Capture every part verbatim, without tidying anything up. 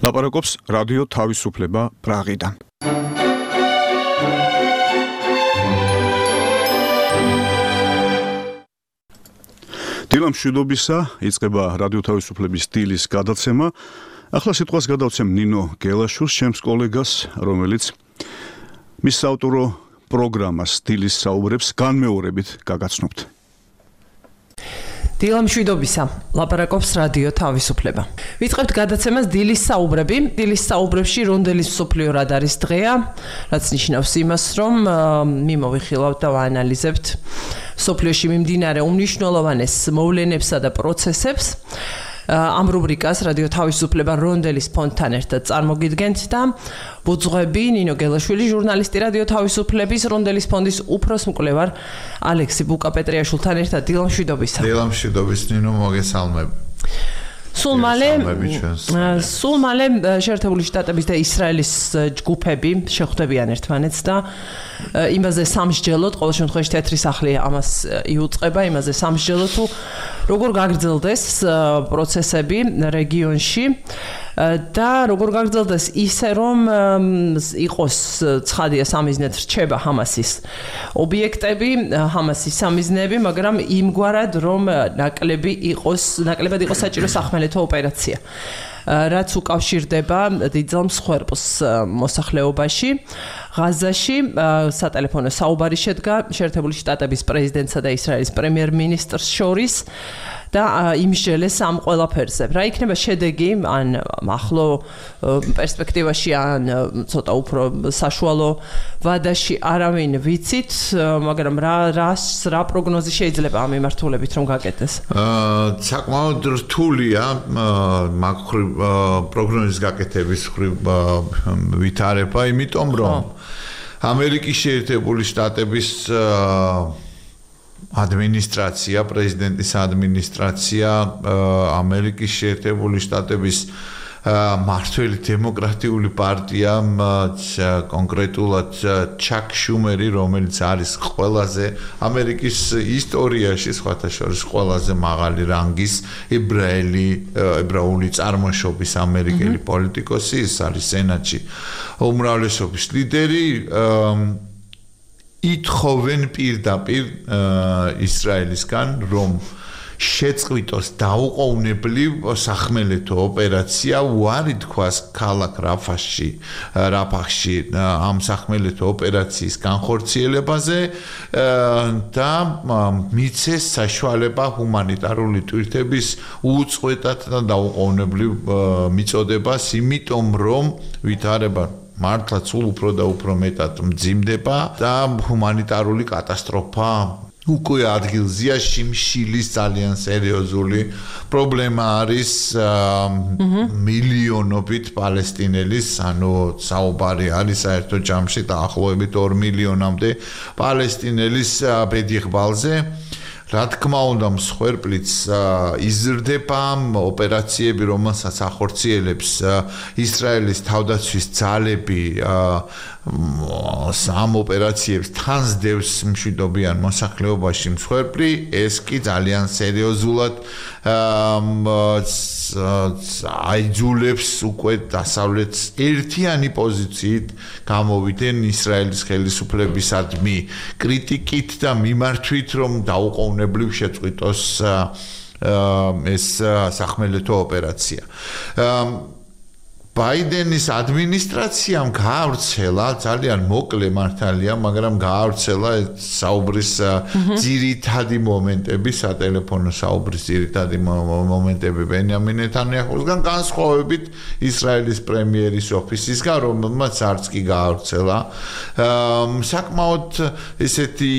ლაპარაკობს რადიო თავისუფლება პრაღიდან. დილა მშვიდობისა, იწყება რადიო თავისუფლების სტილის გადაცემა. ახლა სიტყვას გადავცემ ნინო გელაშვილს, ჩემს კოლეგას, რომელიც მის საავტორო პროგრამას სტილის საუბრებს განმეორებით გაგაცნობთ. დილა მშვიდობისა, ლაპარაკობს რადიო თავისუფლება. ვიწყებთ გადაცემას დილის საუბრები. დილის საუბრებში რონდელის მსოფლიო რადარის დღეა, რაც ნიშნავს იმას, რომ მიმოვიხილავთ და ვაანალიზებთ მსოფლიოში მიმდინარე უმნიშვნელოვანეს მოვლენებსა და პროცესებს. ამ რუბრიკას რადიო თავისუფლება რონდელის ფონდთან ერთად წარმოგიდგენთ და ვუძღვები ნინო გელაშვილი, ჟურნალისტი რადიო თავისუფლების რონდელის ფონდის უფროს მკვლევარ ალექსი ბუკა-პეტრიაშვილთან ერთად. დილა მშვიდობისა. დილა მშვიდობის ნინო, მოგესალმები. სულ მალე სულ მალე შეერთებული შტატების და ისრაელის ჯგუფები შეხვდებიან ერთმანეთს და იმაზე სამსჯელოდ, ყოველ შემთხვევაში თეთრი სახლი ამას იუწყება, იმაზე სამსჯელოდ თუ როგორ გაგრძელდეს პროცესები რეგიონში და როგორ გაგრძელდეს ისე, რომ იყოს ცხადია სამიზნედ რჩება ჰამასის ობიექტები, ჰამასის სამიზნეები, მაგრამ იმგვარად, რომ ნაკლები იყოს, ნაკლებად იყოს საჭირო სახმელეთო ოპერაცია, რაც უკავშირდება დიდძალ მსხვერპლს მოსახლეობაში. ღაზაში სატელეფონო საუბარი შედგა შეერთებული შტატების პრეზიდენტსა და ისრაელის პრემიერ-მინისტრს შორის და იმსჯელეს ამ ყველაფერზე. რა იქნება შედეგი ან ახლო პერსპექტივაში ან ცოტა უფრო საშუალო ვადაში არავინ ვიცით, მაგრამ რა რას რა პროგნოზი შეიძლება ამ მიმართულებით რომ გაკეთდეს? აა საკმაოდ რთულია მაგ პროგნოზის გაკეთების ვითარება, იმიტომ რომ ამერიკის შეერთებული შტატების ადმინისტრაცია, პრეზიდენტის ადმინისტრაცია, ამერიკის შეერთებული შტატების მართველი დემოკრატიული პარტია, კონკრეტულად ჩაკ შუმერი, რომელიც არის ყველაზე ამერიკის ისტორიაში, სხვათა შორის ყველაზე მაღალი რანგის ებრაელი, ებრაული წარმოშობის ამერიკელი პოლიტიკოსი, ის არის სენატში უმრავლესობის ლიდერი. ითხოვენ პირდაპირ ისრაელისგან, რომ შეწყვიტოს დაუყოვნებლივ სახმელეთო ოპერაცია, უარი თქვას ქალაქ რაფაში, რაფახში ამ სახმელეთო ოპერაციის განხორციელებაზე და მიცეს საშუალება ჰუმანიტარული ტვირთების უწყვეტად და დაუყოვნებლივ მიწოდებას, იმიტომ რომ ვითარება მართლა სულ უფრო და უფრო მეტად მძიმდება და ჰუმანიტარული კატასტროფა უკვე ადგილზეა. შიმშილის ძალიან სერიოზული პრობლემა არის მილიონობით პალესტინელის, ანუ საუბარი არის საერთო ჯამში დაახლოებით ორ მილიონამდე პალესტინელის ბედიღბალზე. რა თქმა უნდა, მსხვერპლიც იზრდება, ოპერაციები, რომელსაც ახორციელებს ისრაელის თავდაცვის ძალები, ამ ოპერაციებს თან სდევს მშვიდობიან მოსახლეობაში მსხვერპლი, ეს კი ძალიან სერიოზულად აიძულებს უკვე დასავლეთს ერთიანი პოზიციით გამოვიდნენ ისრაელის ხელისუფლებისადმი კრიტიკით და მიმართვით, რომ დაუყოვნებლივ შეწყვიტოს ეს სახმელეთო ოპერაცია. ბაიდენის ადმინისტრაციამ გაავრცელა, ძალიან მოკლე მართალია, მაგრამ გაავრცელა საუბრის ძირითადი მომენტები, სატელეფონო საუბრის ძირითადი მომენტები ბენიამინ ნეთანიაჰუსგან, განსხვავებით ისრაელის პრემიერის ოფისისგან, რომელმაც არც კი გაავრცელა. საკმაოდ ესეთი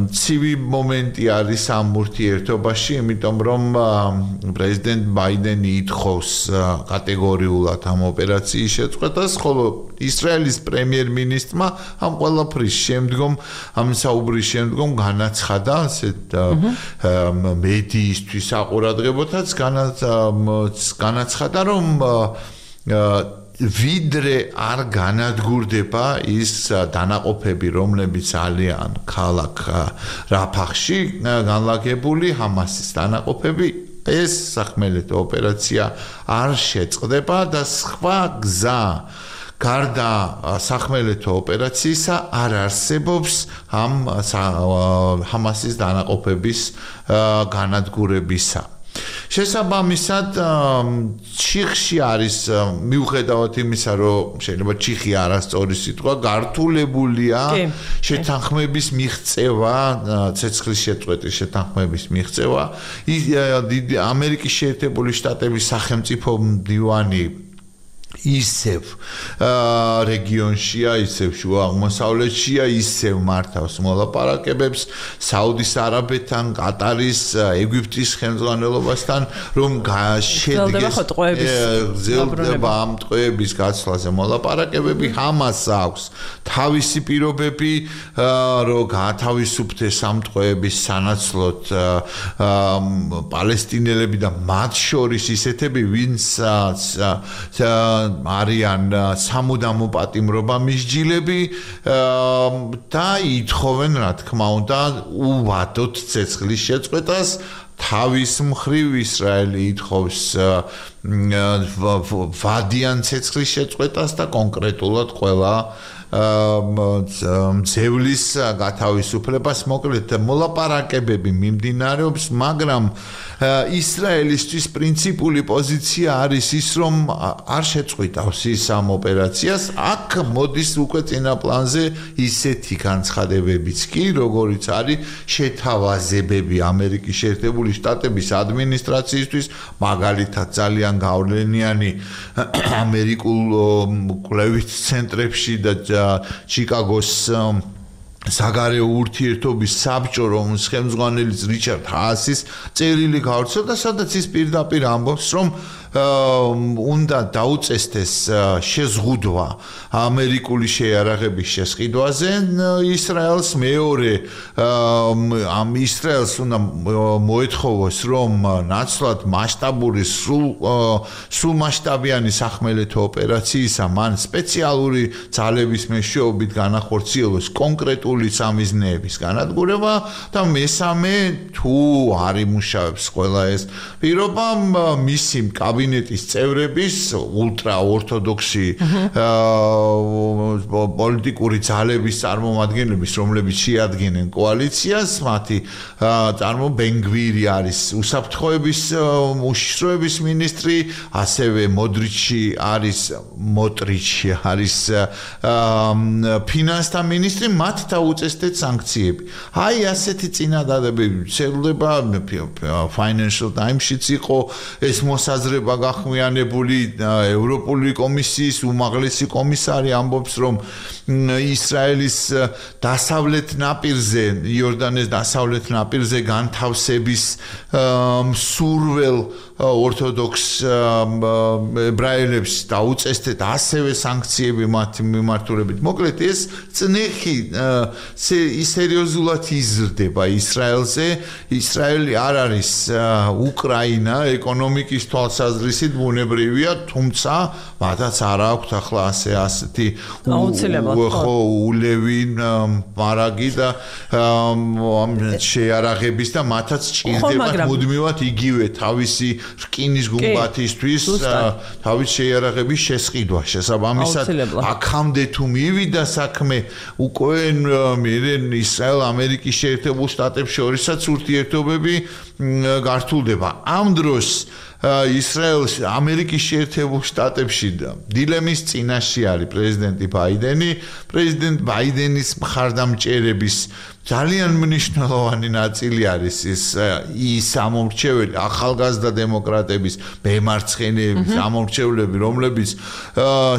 ცივი მომენტი არის ამ ურთიერთობაში, იმიტომ რომ პრეზიდენტ ბაიდენი ითხოვს კატეგორიულად ამ ოპერაციის შეწყვეტას, ხოლო ისრაელის პრემიერ-მინისტრმა ამ ყველაფრის შემდგომ, ამ საუბრის შემდგომ განაცხადა, ასეთ მედიისთვის აყურადღებოდაც განაცხადა, რომ ვიდრე არ განადგურდება ის დანაყოფები, რომლებიც ალიან ქალაქ რაფახში განლაგებული ჰამასის დანაყოფები, ეს სახმელეთო ოპერაცია არ შეწყდება და სხვა გზა გარდა სახმელეთო ოპერაციისა არ არსებობს ამ ჰამასის დანაყოფების განადგურებისა. შესაბამისად ჩიხში არის მიუხედავად იმისა რომ შეიძლება ჩიხი არასწორი სიტყვა გართულებულია შეთანხმების მიღწევა ცეცხლის შეწყვეტის შეთანხმების მიღწევა ამერიკის შეერთებული შტატების სახელმწიფო მდივანი ისევ რეგიონშია, ისევ შუა აღმოსავლეთშია, ისევ მართავს მოლაპარაკებებს საუდის არაბეთთან, კატარის, ეგვიპტის ხელმძღვანელობასთან, რომ შედგეს გრძელდება ამ ტყვეების გაცვლაზე მოლაპარაკებები, ჰამასს აქვს თავისი პირობები, რომ გაათავისუფლდეს ამ ტყვეების სანაცვლოდ პალესტინელები და მათ შორის ისეთები, ვინც არიან სამუდამო პატიმრობა მისჯილები და ითხოვენ რა თქმა უნდა უვადოთ ცეცხლის შეწყვეტას თავის მხრივ ისრაელი ითხოვს ვადიან ცეცხლის შეწყვეტას და კონკრეტულად ყველა მძევლის გათავისუფლებას მოკლედ მოლაპარაკებები მიმდინარეობს მაგრამ ისრაელისთვის პრინციპული პოზიცია არის ის რომ არ შეწყვიტავს ის ამ ოპერაციას აქ მოდის უკვე წინა პლანზე ისეთი განცხადებებიც კი როგორიც არის შეთავაზებები ამერიკის შეერთებული შტატების ადმინისტრაციისთვის მაგალითად ძალიან გავლენიანი ამერიკულ კვლევით ცენტრებში და ჩიკაგოს საგარეო ურთიერთობის საბჭო რომლის ხელმძღვანელიც რიჩარდ ჰაასის წერილი გავრცელდა სადაც ის პირდაპირ ამბობს რომ უნდა დაუწესდეს შეზღუდვა ამერიკული შეიარაღების შესყიდვაზე ისრაელს მეორე ამ ისრაელს უნდა მოეთხოვოს რომ ნაცვლად მასშტაბური სულ სულ მასშტაბიანი სახმელეთო ოპერაციისა მან სპეციალური ძალების მეშვეობით განახორციელოს კონკრეტული სამიზნეების განადგურება და მესამე თუ არ იმუშავებს ყველა ეს პირობა მისი კაბინეტის წევრების ულტრა ორთოდოქსი პოლიტიკური ძალების წარმომადგენლების რომლებიც შეადგენენ კოალიციას მათი წარმო ბენგვირი არის უსაფრთხოების უშიშროების მინისტრი ასევე მოდრიჩი არის მოტრიჩი არის ფინანსთა მინისტრი მათ დაუწესდეთ სანქციები აი ასეთი წინადადებები ვრცელდება Financial Times-შიც იყო ეს მოსაზრება გახმიანებული ევროპული კომისიის უმაღლესი კომისარი ამბობს რომ ისრაელის დასავლეთ ნაპირზე იორდანეს დასავლეთ ნაპირზე განთავსების სურველ ორთოდოქს ებრაელებს დაუწესდეთ ასევე სანქციები მათი მიმართულებით მოკლედ ეს წნეხი სერიოზულად იზრდება ისრაელზე ისრაელი არ არის უკრაინა ეკონომიკის თვალსაზრისით ბუნებრივია თუმცა მათაც არ აქვთ ახლა ასე ასეთი ხო ულევი მარაგი და შეიარაღების და მათაც ჭირდებათ მუდმივად იგივე თავისი რკინის გუმბათისთვის თავის შეიარაღების შესყიდვა შესაბამისად აქამდე თუ მივიდა საქმე უკვე ისრაელ ამერიკის შეერთებულ შტატებს შორისაც ურთიერთობები გართულდება ამ დროს ისრაელს ამერიკის შეერთებულ შტატებში დილემის წინაშე არის პრეზიდენტი ბაიდენი პრეზიდენტ ბაიდენის მხარდამჭერების ძალიან მნიშვნელოვანი ნაწილი არის ის ის ამორჩეველი ახალგაზრდა დემოკრატების მემარცხენეების ამორჩევლები რომლებიც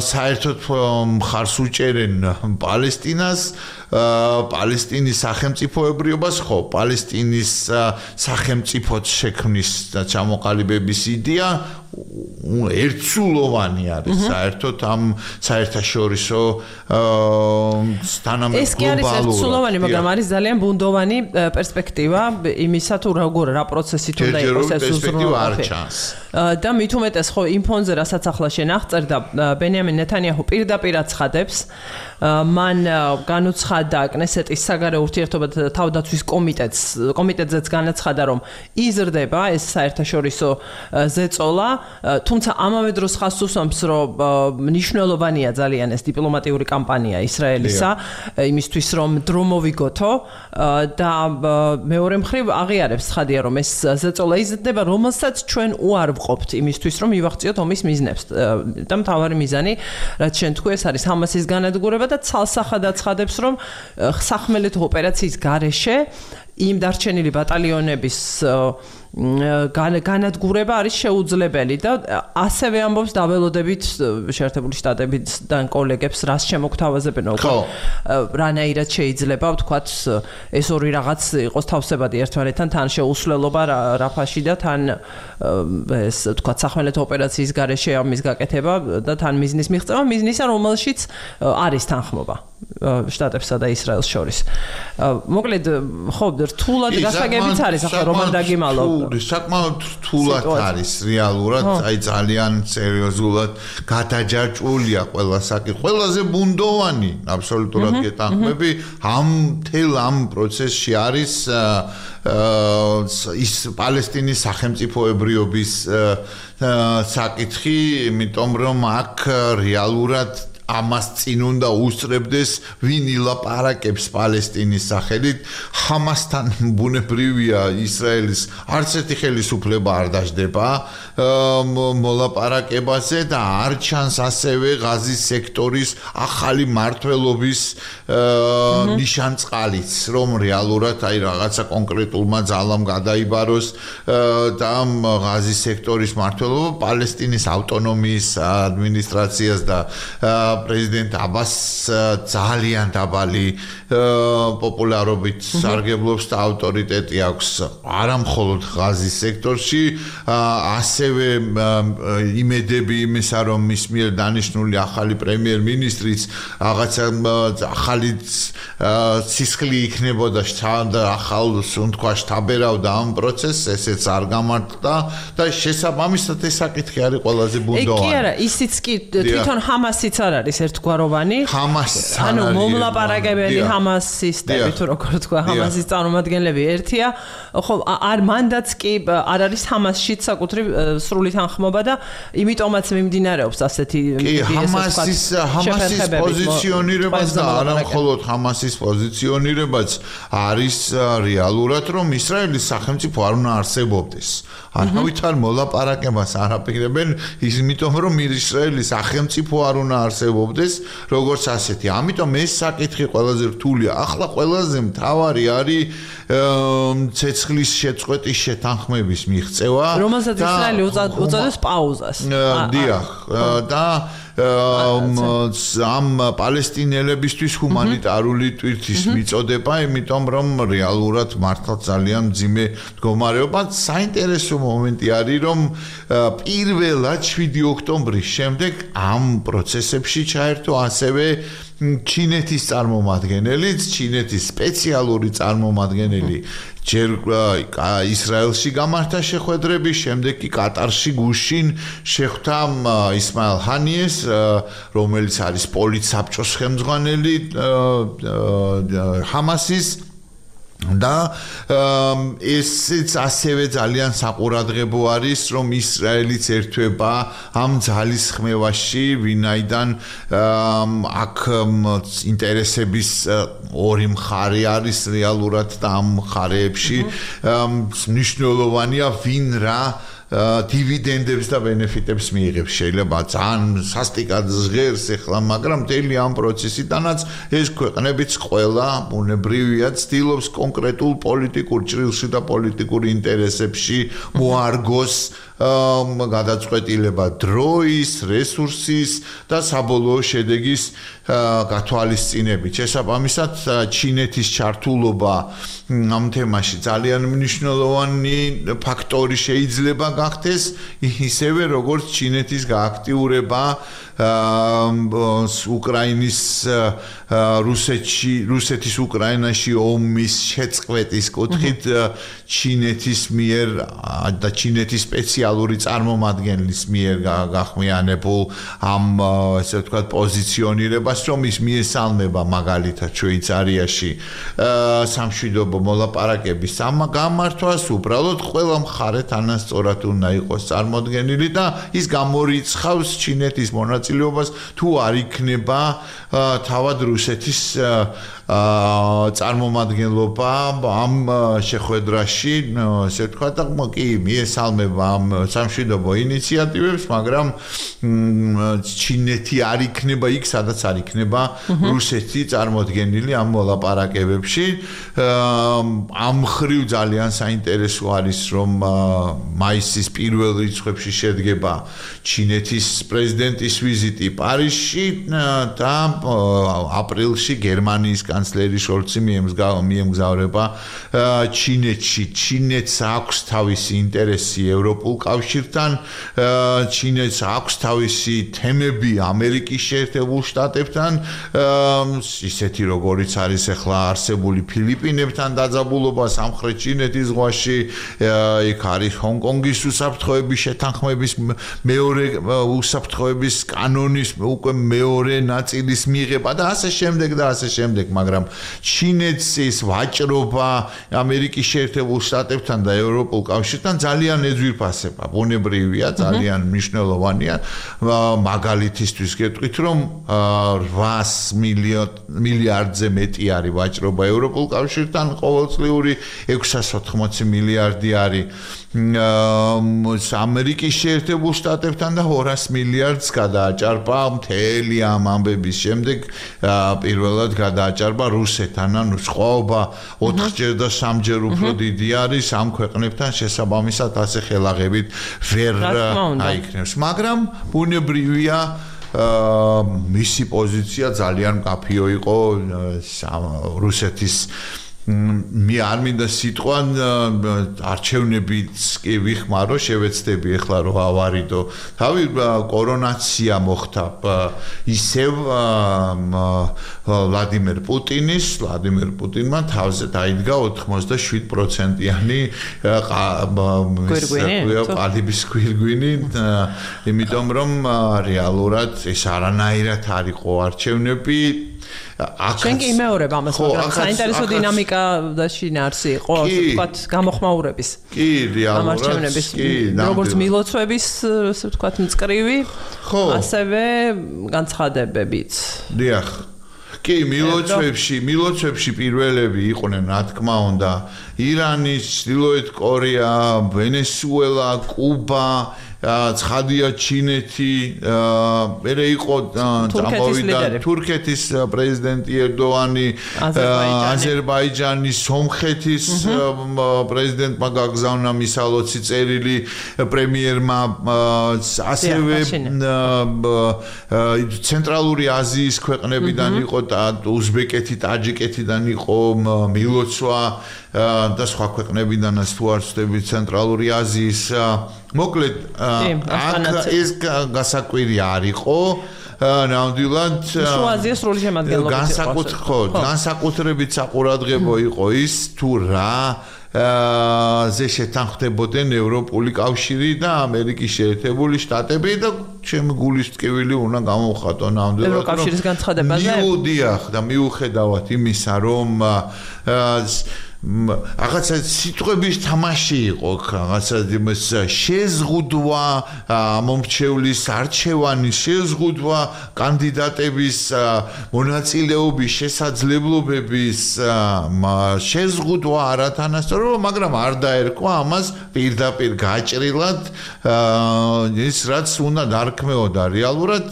საერთოდ მხარს უჭერენ პალესტინას პალესტინის სახელმწიფოებრიობას ხო პალესტინის სახელმწიფოს შექმნის და ჩამოყალიბების იდეა ერთსულოვანი არის საერთოდ ამ საერთაშორისო თანამედროვე ეს კი არის ერთსულოვანი მაგრამ არის ძალიან ბუნდოვანი პერსპექტივა იმისა თუ როგორ რა პროცესით უნდა იყოს ეს უზრუნველყოფი და მით უმეტეს ხო იმ ფონზე რასაც ახლა შენ აღწერდა ბენიამინ ნეთანიაჰუ პირდაპირ აცხადებს მან განუცხადა კნესეტის საგარეო ურთიერთობათა თავდაცვის კომიტეტს კომიტეტზეც განაცხადა რომ იზრდება ეს საერთაშორისო ზეწოლა, თუმცა ამავე დროს ხაზს უსვამს რომ მნიშვნელოვანია ძალიან ეს დიპლომატიური კამპანია ისრაელისა იმისთვის რომ დრო მოვიგოთო და მეორე მხრივ აღიარებს ცხადია რომ ეს ზეწოლა იზრდება რომელსაც ჩვენ უარ ვყოფთ იმისთვის რომ მივაღწიოთ ომის მიზნებს და მთავარი მიზანი რაც შენ თქვი ეს არის ჰამასის განადგურება და ცალსახად აცხადებს რომ სახმელეთო ოპერაციის გარეშე იმ დარჩენილი ბატალიონების განადგურება არის შეუძლებელი და ასევე ამბობს დაველოდებით შეერთებული შტატებიდან კოლეგებს რას შემოგთავაზებენ რანაირად შეიძლება ვთქვათ ეს ორი რაღაც იყოს თავსებადი ერთმანეთთან თან შეუსვლელობა რაფაში და თან ეს ვთქვათ სახმელეთო ოპერაციის გარეშე ამის გაკეთება და თან მიზნის მიღწევა მიზნისა რომელშიც არის თანხმობა შტატებსა და ისრაელს შორის მოკლედ ხო რთულად გასაგებიც არის ახლა რომან დაგიმალო საკმაოდ რთულად არის რეალურად აი ძალიან სერიოზულად გადაჯაჭვულია ყველა საკითხი ყველაზე ბუნდოვანი აბსოლუტურად გეტანხმები ამ თელ ამ პროცესში არის ის პალესტინის სახელმწიფოებრიობის საკითხი იმიტომ რომ აქ რეალურად ამას წინ უნდა უსწრებდეს ვინ ილაპარაკებს პალესტინის სახელით ჰამასთან ბუნებრივია ისრაელის არც ერთი ხელისუფლება არ დაждდება მოლაპარაკებაზე და არ ჩანს ასევე ღაზის სექტორის ახალი მართლობის ნიშანწყალიც რომ რეალურად აი რაღაცა კონკრეტულმა ძალამ გადაიბაროს და ღაზის სექტორის მართლობა პალესტინის ავტონომიის ადმინისტრაციას და პრეზიდენტ აბას ძალიან დაბალი პოპულარობით სარგებლობს და ავტორიტეტი აქვს არა მხოლოდ ღაზის სექტორში ასევე იმედები იმისა რომ მის მიერ დანიშნული ახალი პრემიერ-მინისტრიც რაღაცა ახალი სისხლი იქნებოდა და ახალ თქვა შთაბერავდა ამ პროცესს ესეც არ გამართდა და შესაბამისად ეს საკითხი არის ყველაზე ბუნდოვანი. კი არა ისიც კი თვითონ ჰამასიც არ არის ერთგვაროვანი. ანუ მომლაპარაკებელი ჰამასისტები თუ როგორ თქვა ჰამასის წარმომადგენლები ერთია. ხო არ მანდაც კი არ არის ჰამასშიც საკუთრივ სრული თანხმობა და იმიტომაც მიმდინარეობს ასეთი ჰამასის ჰამასის პოზიციონირებაც და არა მხოლოდ ჰამასის პოზიციონირებაც არის რეალურად რომ ისრაელის სახელმწიფო არ უნდა არსებობდეს. არავით არ მოლაპარაკებას არ აპირებენ იმიტომ რომ ისრაელის სახელმწიფო არ უნდა არსებობდეს როგორც ასეთი. ამიტომ ეს საკითხი ყველაზე რთულია. ახლა ყველაზე მთავარი არის ცეცხლის შეწყვეტის შეთანხმების მიღწევა რომელსაც ისრაელი უწოდებს პაუზას. დიახ და ამ პალესტინელებისთვის ჰუმანიტარული ტვირთის მიწოდება, იმიტომ რომ რეალურად მართლა ძალიან მძიმე მდგომარეობა. საინტერესო მომენტი არის, რომ პირველად შვიდი ოქტომბრის შემდეგ ამ პროცესებში ჩაერთო ასევე ჩინეთის წარმომადგენელიც, ჩინეთის სპეციალური წარმომადგენელი ჯერ ისრაელში გამართა შეხვედრები, შემდეგ კი კატარში გუშინ შეხვდა ისმაილ ჰანიეს, რომელიც არის პოლიტსაბჭოს ხელმძღვანელი ჰამასის და ესეც ასევე ძალიან საყურადღებო არის რომ ისრაელიც ერთვება ამ ძალის ხმევაში ვინაიდან აქ ინტერესების ორი მხარე არის რეალურად და ამ მხარეებში მნიშვნელოვანია ვინ რა დივიდენდებს და ბენეფიტებს მიიღებს შეიძლება ძალიან სასტიკად ჟღერს ახლა მაგრამ მთელი ამ პროცესიდანაც ეს ქვეყნებიც ყველა ბუნებრივია ცდილობს კონკრეტულ პოლიტიკურ ჭრილში და პოლიტიკურ ინტერესებში მოარგოს გადაწყვეტილება დროის, რესურსის და საბოლოო შედეგის გათვალისწინებით. შესაბამისად, ჩინეთის ჩართულობა ამ თემაში ძალიან მნიშვნელოვანი ფაქტორი შეიძლება გახდეს ისევე როგორც ჩინეთის გააქტიურება უკრაინის რუსეთში რუსეთის უკრაინაში ომის შეწყვეტის კუთხით ჩინეთის მიერ და ჩინეთის სპეციალური წარმომადგენლის მიერ გახმიანებულ ამ ესე ვთქვათ პოზიციონირებას რომ ის მიესალმება მაგალითად შვეიცარიაში სამშვიდობო მოლაპარაკების გამართვას უბრალოდ ყველა მხარე თანასწორად უნდა იყოს წარმოდგენილი და ის გამორიცხავს ჩინეთის მონაწილეობას თუ არ იქნება თავად რუსეთის წარმომადგენლობა ამ შეხვედრაში ესე ვთქვათ კი მიესალმება ამ სამშვიდობო ინიციატივებს მაგრამ ჩინეთი არ იქნება იქ სადაც არ იქნება რუსეთი წარმოდგენილი ამ მოლაპარაკებებში ამ ხრივ ძალიან საინტერესო არის რომ მაისის პირველ რიცხვებში შედგება ჩინეთის პრეზიდენტის ვიზიტი პარიზში და აპრილში გერმანიის კანცლერი შოლცი მიემგზავრება ჩინეთში. ჩინეთს აქვს თავისი ინტერესი ევროპულ კავშირთან, ჩინეთს აქვს თავისი თემები ამერიკის შეერთებულ შტატებთან, ისეთი როგორიც არის ახლა არსებული ფილიპინებთან დაძაბულობა სამხრეთ ჩინეთის ზღვაში, იქ არის ჰონკონგის უსაფრთხოების შეთანხმების მეორე უსაფრთხოების კანონის უკვე მეორე ნაწილის მიღება და ასე შემდეგ და ასე შემდეგ, მაგრამ ჩინეთს ის ვაჭრობა ამერიკის შეერთებულ შტატებთან და ევროპულ კავშირთან ძალიან ეძვირფასება. ბუნებრივია, ძალიან მნიშვნელოვანია. მაგალითისთვის გეტყვით, რომ რვაას მილიარდზე მეტი არის ვაჭრობა ევროპულ კავშირთან, ყოველწლიური ექვსას ოცდაოთხი მილიარდი არის ამერიკის შეერთებულ შტატებთან და ორას მილიარდს გადააჭარბა მთელი ამ ამბების შემდეგ პირველად გადააჭარბა რუსეთთან, ანუ სხვაობა ოთხჯერ და სამჯერ უფრო დიდი არის ამ ქვეყნებთან შესაბამისად ასე ხელაღებით ვერ აიქნებს, მაგრამ ბუნებრივია მისი პოზიცია ძალიან მკაფიო იყო რუსეთის მე არ მინდა სიტყვა არჩევნებიც კი ვიხმარო შევეცდები ახლა რომ ავარიდო თავი კორონაცია მოხდა ისევ ვლადიმერ პუტინის ვლადიმერ პუტინმა თავზე დაიდგა ოთხმოცდაშვიდ პროცენტიანი ყალიბის გვირგვინი იმიტომ რომ რეალურად ეს არანაირად არ იყო არჩევნები შენ კი იმეორებ ამას, მაგრამ საინტერესო დინამიკა და შინაარსი იყო, ვთქვათ, გამოხმაურების. კი, რეალურად, კი, როგორც მილოცვების, ასე ვთქვათ, მწკრივი, ასევე განცხადებებიც. დიახ. კი, მილოცვებში, მილოცვებში პირველები იყვნენ, რა თქმა უნდა, ირანი, ჩრდილოეთ კორეა, ვენესუელა, კუბა ცხადია ჩინეთი მერე იყო წამოვიდა თურქეთის პრეზიდენტი ერდოანი აზერბაიჯანის სომხეთის პრეზიდენტმა გაგზავნა მისალოცი წერილი პრემიერმა ასევე ცენტრალური აზიის ქვეყნებიდან იყო უზბეკეთი ტაჯიკეთიდან იყო მილოცვა და სხვა ქვეყნებიდანაც თუ არ ვცდები ცენტრალური აზიის მოკლედ აქ ეს გასაკვირი არ იყო ნამდვილად შუა აზიის სრული შემადგენლობით განსაკუთრებით განსაკუთრებით საყურადღებო იყო ის თუ რა ზე შეთანხმდებოდნენ ევროპული კავშირი და ამერიკის შეერთებული შტატები და ჩემი გულის ტკივილი უნდა გამოვხატო ნამდვილად ევროკავშირის განცხადებაზე მიუდიახ და მიუხედავად იმისა რომ რაღაცა სიტყვების თამაში იყო რაღაცა შეზღუდვა მომრჩევლის არჩევანის შეზღუდვა კანდიდატების მონაწილეობის შესაძლებლობების შეზღუდვა არათანასწორობა მაგრამ არ დაერქვა ამას პირდაპირ გაჭრილად ის რაც უნდა დარქმეოდა რეალურად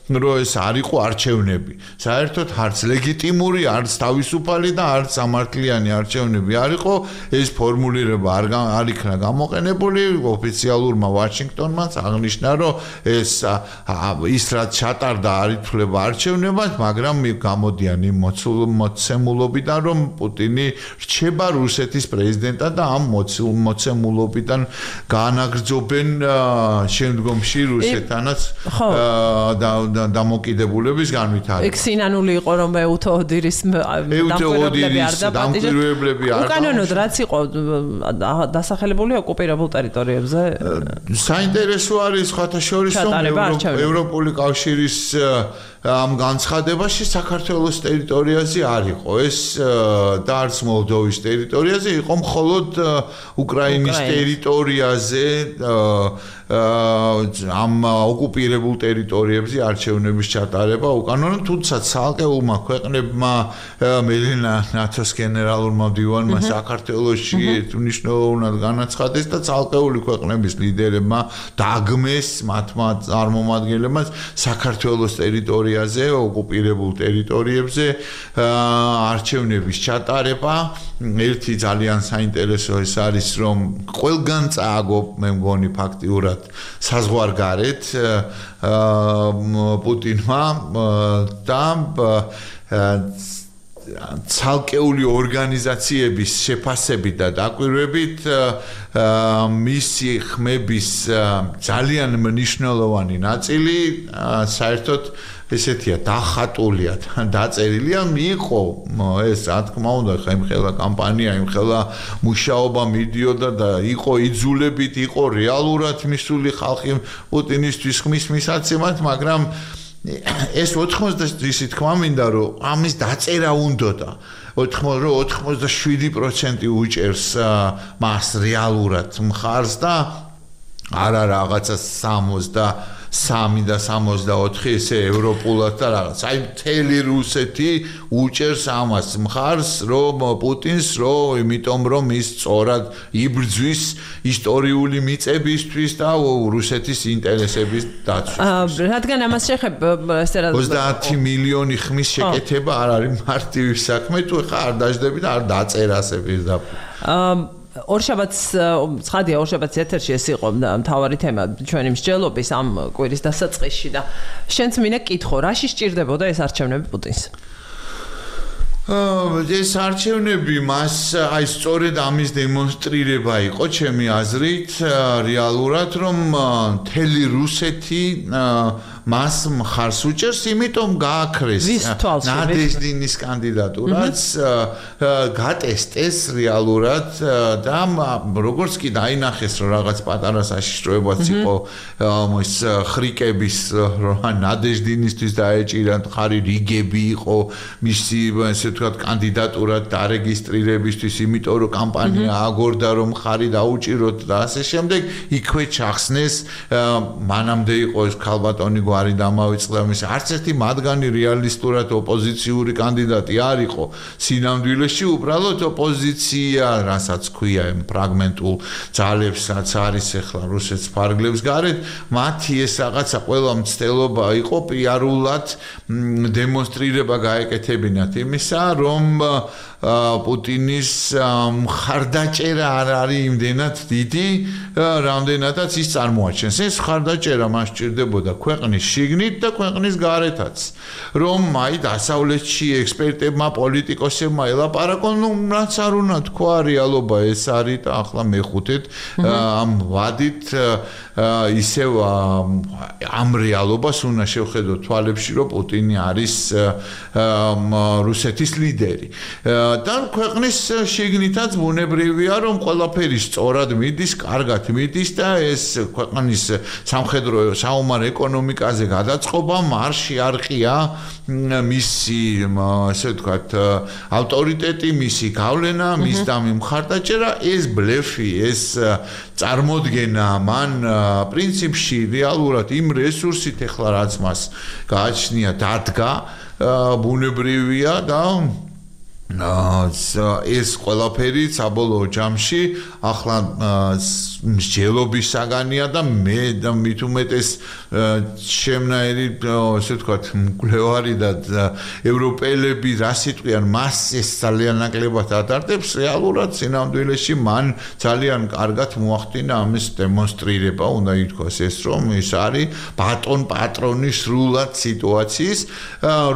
რომ ეს არ იყო არჩევნები. საერთოდ არც ლეგიტიმური, არც თავისუფალი და არც სამართლიანი არჩევნები არ იყო. ეს ფორმულირება არ არ იქნა გამოყენებული, ოფიციალურმა ვაშინგტონმაც აღნიშნა, რომ ეს ის რაც ჩატარდა არ ითვლება არჩევნებად, მაგრამ გამოდიან იმ მოცემულობიდან, რომ პუტინი რჩება რუსეთის პრეზიდენტად და ამ მოცემულობიდან განაგრძობენ შემდგომში რუსეთთანაც დამოკიდებულების განვითარება. ეგ სინანული იყო, რომ ეუთო ოდირის დამკვირვებლები არ უკანონოდ რაც იყო დასახელებული ოკუპირებულ ტერიტორიებზე? საინტერესო არის სხვათა შორის, რომ ევროპული კავშირის ამ განცხადებაში საქართველოს ტერიტორიაზე არ იყო. ეს და არც მოლდოვის ტერიტორიაზე იყო მხოლოდ უკრაინის ტერიტორიაზე ამ ოკუპირებულ ტერიტორიებზე არჩევნების ჩატარება უკანონო, თუმცა ცალკეულმა ქვეყნებმა მელენა ნატოს გენერალურმა მდივანმა საქართველოში მნიშვნელოვნად განაცხადეს და ცალკეული ქვეყნების ლიდერებმა დაგმეს მათმა წარმომადგენლებმა საქართველოს ტერიტორიაზე, ოკუპირებულ ტერიტორიებზე არჩევნების ჩატარება. ერთი ძალიან საინტერესო ეს არის, რომ ყველგან წააგო, მე მგონი ფაქტიურად საზღვარგარეთ პუტინმა და ცალკეული ორგანიზაციების შეფასებით და დაკვირვებით მისი ხმების ძალიან მნიშვნელოვანი ნაწილი საერთოდ ესეთია დახატულია, დაწერილია, მიიღო ეს რა თქმა უნდა ხემხელა კამპანია, იმხელა მუშაობა მიდიოდა და იყო იძულებით, იყო რეალურად მისული ხალხი პუტინისთვის ხმის მისაცემად, მაგრამ ეს ოთხმოცდაშვიდი ისე თქმა მინდა, რომ ამის დაწერა უნდოდა. ოთხმოცდაშვიდი პროცენტი უჭერს მას რეალურად მხარს და არა რაღაცა სამოცდასამი და სამოცდაოთხი ესე ევროპულად და რაღაც. აი მთელი რუსეთი უჭერს ამას მხარს, რომ პუტინს, რომ იმიტომ რომ ის სწორად იბრძვის ისტორიული მიწებისთვის და რუსეთის ინტერესების დაცვისთვის. რადგან ამას შეხებ ესე რა ოცდაათი მილიონი ხმის შეკეთება არ არის მარტივი საქმე, თუ ხა არ დაждები და არ დაწერა ასე პირდაპირ. ორშაბათს ცხადია ორშაბათს ეთერში ეს იყო მთავარი თემა ჩვენი მსჯელობის ამ კვირის დასაწყისში და შენც მინდა კითხო, რაში სჭირდებოდა ეს არჩევნები პუტინს? ეს არჩევნები მას აი სწორედ ამის დემონსტრირება იყო ჩემი აზრით, რეალურად რომ მთელი რუსეთი მას მხარს უჭერს, იმიტომ გააქრეს ნადეჟდინის კანდიდატურაც, გატესტეს რეალურად და როგორც კი დაინახეს, რომ რაღაც პატარა საშიშროებაც იყო ის ხრიკების ნადეჟდინისთვის დაეჭირა მხარი რიგები იყო მისი ესე ვთქვათ კანდიდატურად დარეგისტრირებისთვის, იმიტომ რომ კამპანია აგორდა რომ მხარი დაუჭიროთ და ასე შემდეგ, იქვე ჩახსნეს მანამდე იყო ეს ქალბატონი გვარი დამავიწყდა მის არც ერთი მათგანი რეალისტურად ოპოზიციური კანდიდატი არ იყო სინამდვილეში, უბრალოდ ოპოზიცია, რასაც ქვია იმ ფრაგმენტულ ძალებს, რაც არის ახლა რუსეთს ფარგლებს გარეთ, მათი ეს რაღაცა ყველა მცდელობა იყო პიარულად დემონსტრირება გაეკეთებინათ იმისა, რომ პუტინის მხარდაჭერა არ არის იმდენად დიდი, რამდენადაც ის წარმოაჩენს. ეს მხარდაჭერა მას სჭირდებოდა ქვეყნის შიგნით და ქვეყნის გარეთაც. რომ აი დასავლეთში ექსპერტებმა, პოლიტიკოსებმა ელაპარაკონ, ნუ რაც არ უნდა თქვა, რეალობა ეს არის და ახლა მეხუთეთ ამ ვადით ისევ ამ რეალობას უნდა შევხედოთ თვალებში, რომ პუტინი არის რუსეთის ლიდერი. და ქვეყნის შიგნითაც ბუნებრივია, რომ ყველაფერი სწორად მიდის, კარგად მიდის და ეს ქვეყნის სამხედრო საომარ ეკონომიკაზე გადაწყობა მარში არ ყია მისი, ასე ვთქვათ, ავტორიტეტი, მისი გავლენა, მის და მიმხარდაჭერა, ეს ბლეფი, ეს წარმოდგენა მან პრინციპში რეალურად იმ რესურსით ახლა რაც მას გააჩნია დადგა, ბუნებრივია და ეს ყველაფერი საბოლოო ჯამში ახლა მსჯელობის საგანია და მე და მით უმეტეს შემნაირი ასე ვთქვათ მკვლევარი და ევროპელები რა სიტყვიან მას ეს ძალიან ნაკლებად ატარებს რეალურად სინამდვილეში მან ძალიან კარგად მოახდინა ამის დემონსტრირება უნდა ითქვას ეს რომ ეს არის ბატონ პატრონის სრულად სიტუაციის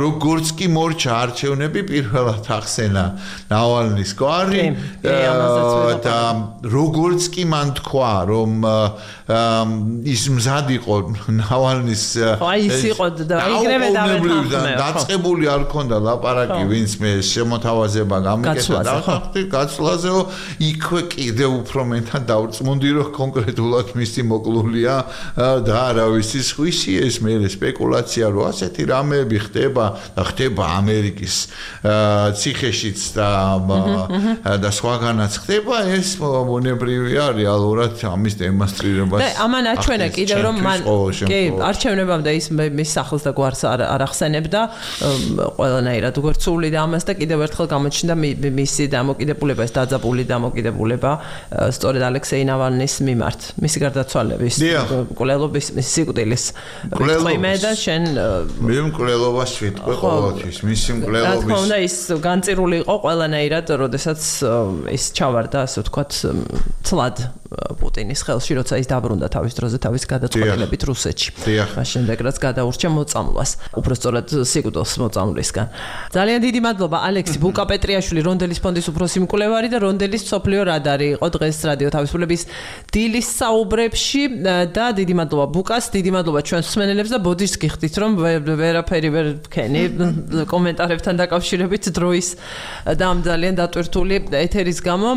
როგორც კი მორჩა არჩევნები პირველად ახსენა ნავალნის გვარი და როგორც კი მან თქვა რომ ის მზად იყო ნავალნის აი ის იყო და იგრევე დავეთანხმე დაწყებული არ ქონდა ლაპარაკი ვინც მე შემოთავაზება გამიკეთა და გაცვლაზეო იქვე კიდე უფრო მენთან დავრწმუნდი რომ კონკრეტულად მისი მოკლულია და არავის ხვისი ეს მე სპეკულაცია რომ ასეთი რამეები ხდება და ხდება ამერიკის ციხეშიც და და სხვაგანაც ხდება ეს მონებრივია რეალურად ამის დემონსტრირებას და ამან აჩვენა კიდევ რომ მან კი არჩევნებამდე ის მის სახლს და გვარს არ ახსენებდა ყველანაირად როგორც სული და ამას და კიდევ ერთხელ გამოჩნდა მისი დამოკიდებულება ეს დაძაბული დამოკიდებულება სწორედ ალექსეი ნავალნის მიმართ მისი გარდაცვალების მკვლელობის სიკვდილის რიტყვიმე და შენ მე მკვლელობას ვიტყვი ყოველთვის მისი მკვლელობის რა თქმა უნდა ის განწირული იყო ყველანაირად როდესაც ის ჩავარდა ასე ვთქვათ ცლად პუტინის ხელში როცა ის დაბრუნდა თავის დროზე თავის გადაწყვეტილებით რუსეთში მაშინ შემდეგ რაც გადაურჩა მოწამვლას უბრალოდ სიკვდილს მოწამვლისგან ძალიან დიდი მადლობა ალექსი ბუკაპეტრიაშვილი რონდელის ფონდის უფროსი მკვლევარი და რონდელის სოფლიო რადარი იყო დღეს რადიო თავისუფლების დილის საუბრებში და დიდი მადლობა ბუკას დიდი მადლობა ჩვენს მსმენელებს და ბოდიშს გიხდით რომ ვერაფერი ვერ ვქენი კომენტარებთან დაკავშირებით დროის და ამ ძალიან დატვირთული ეთერის გამო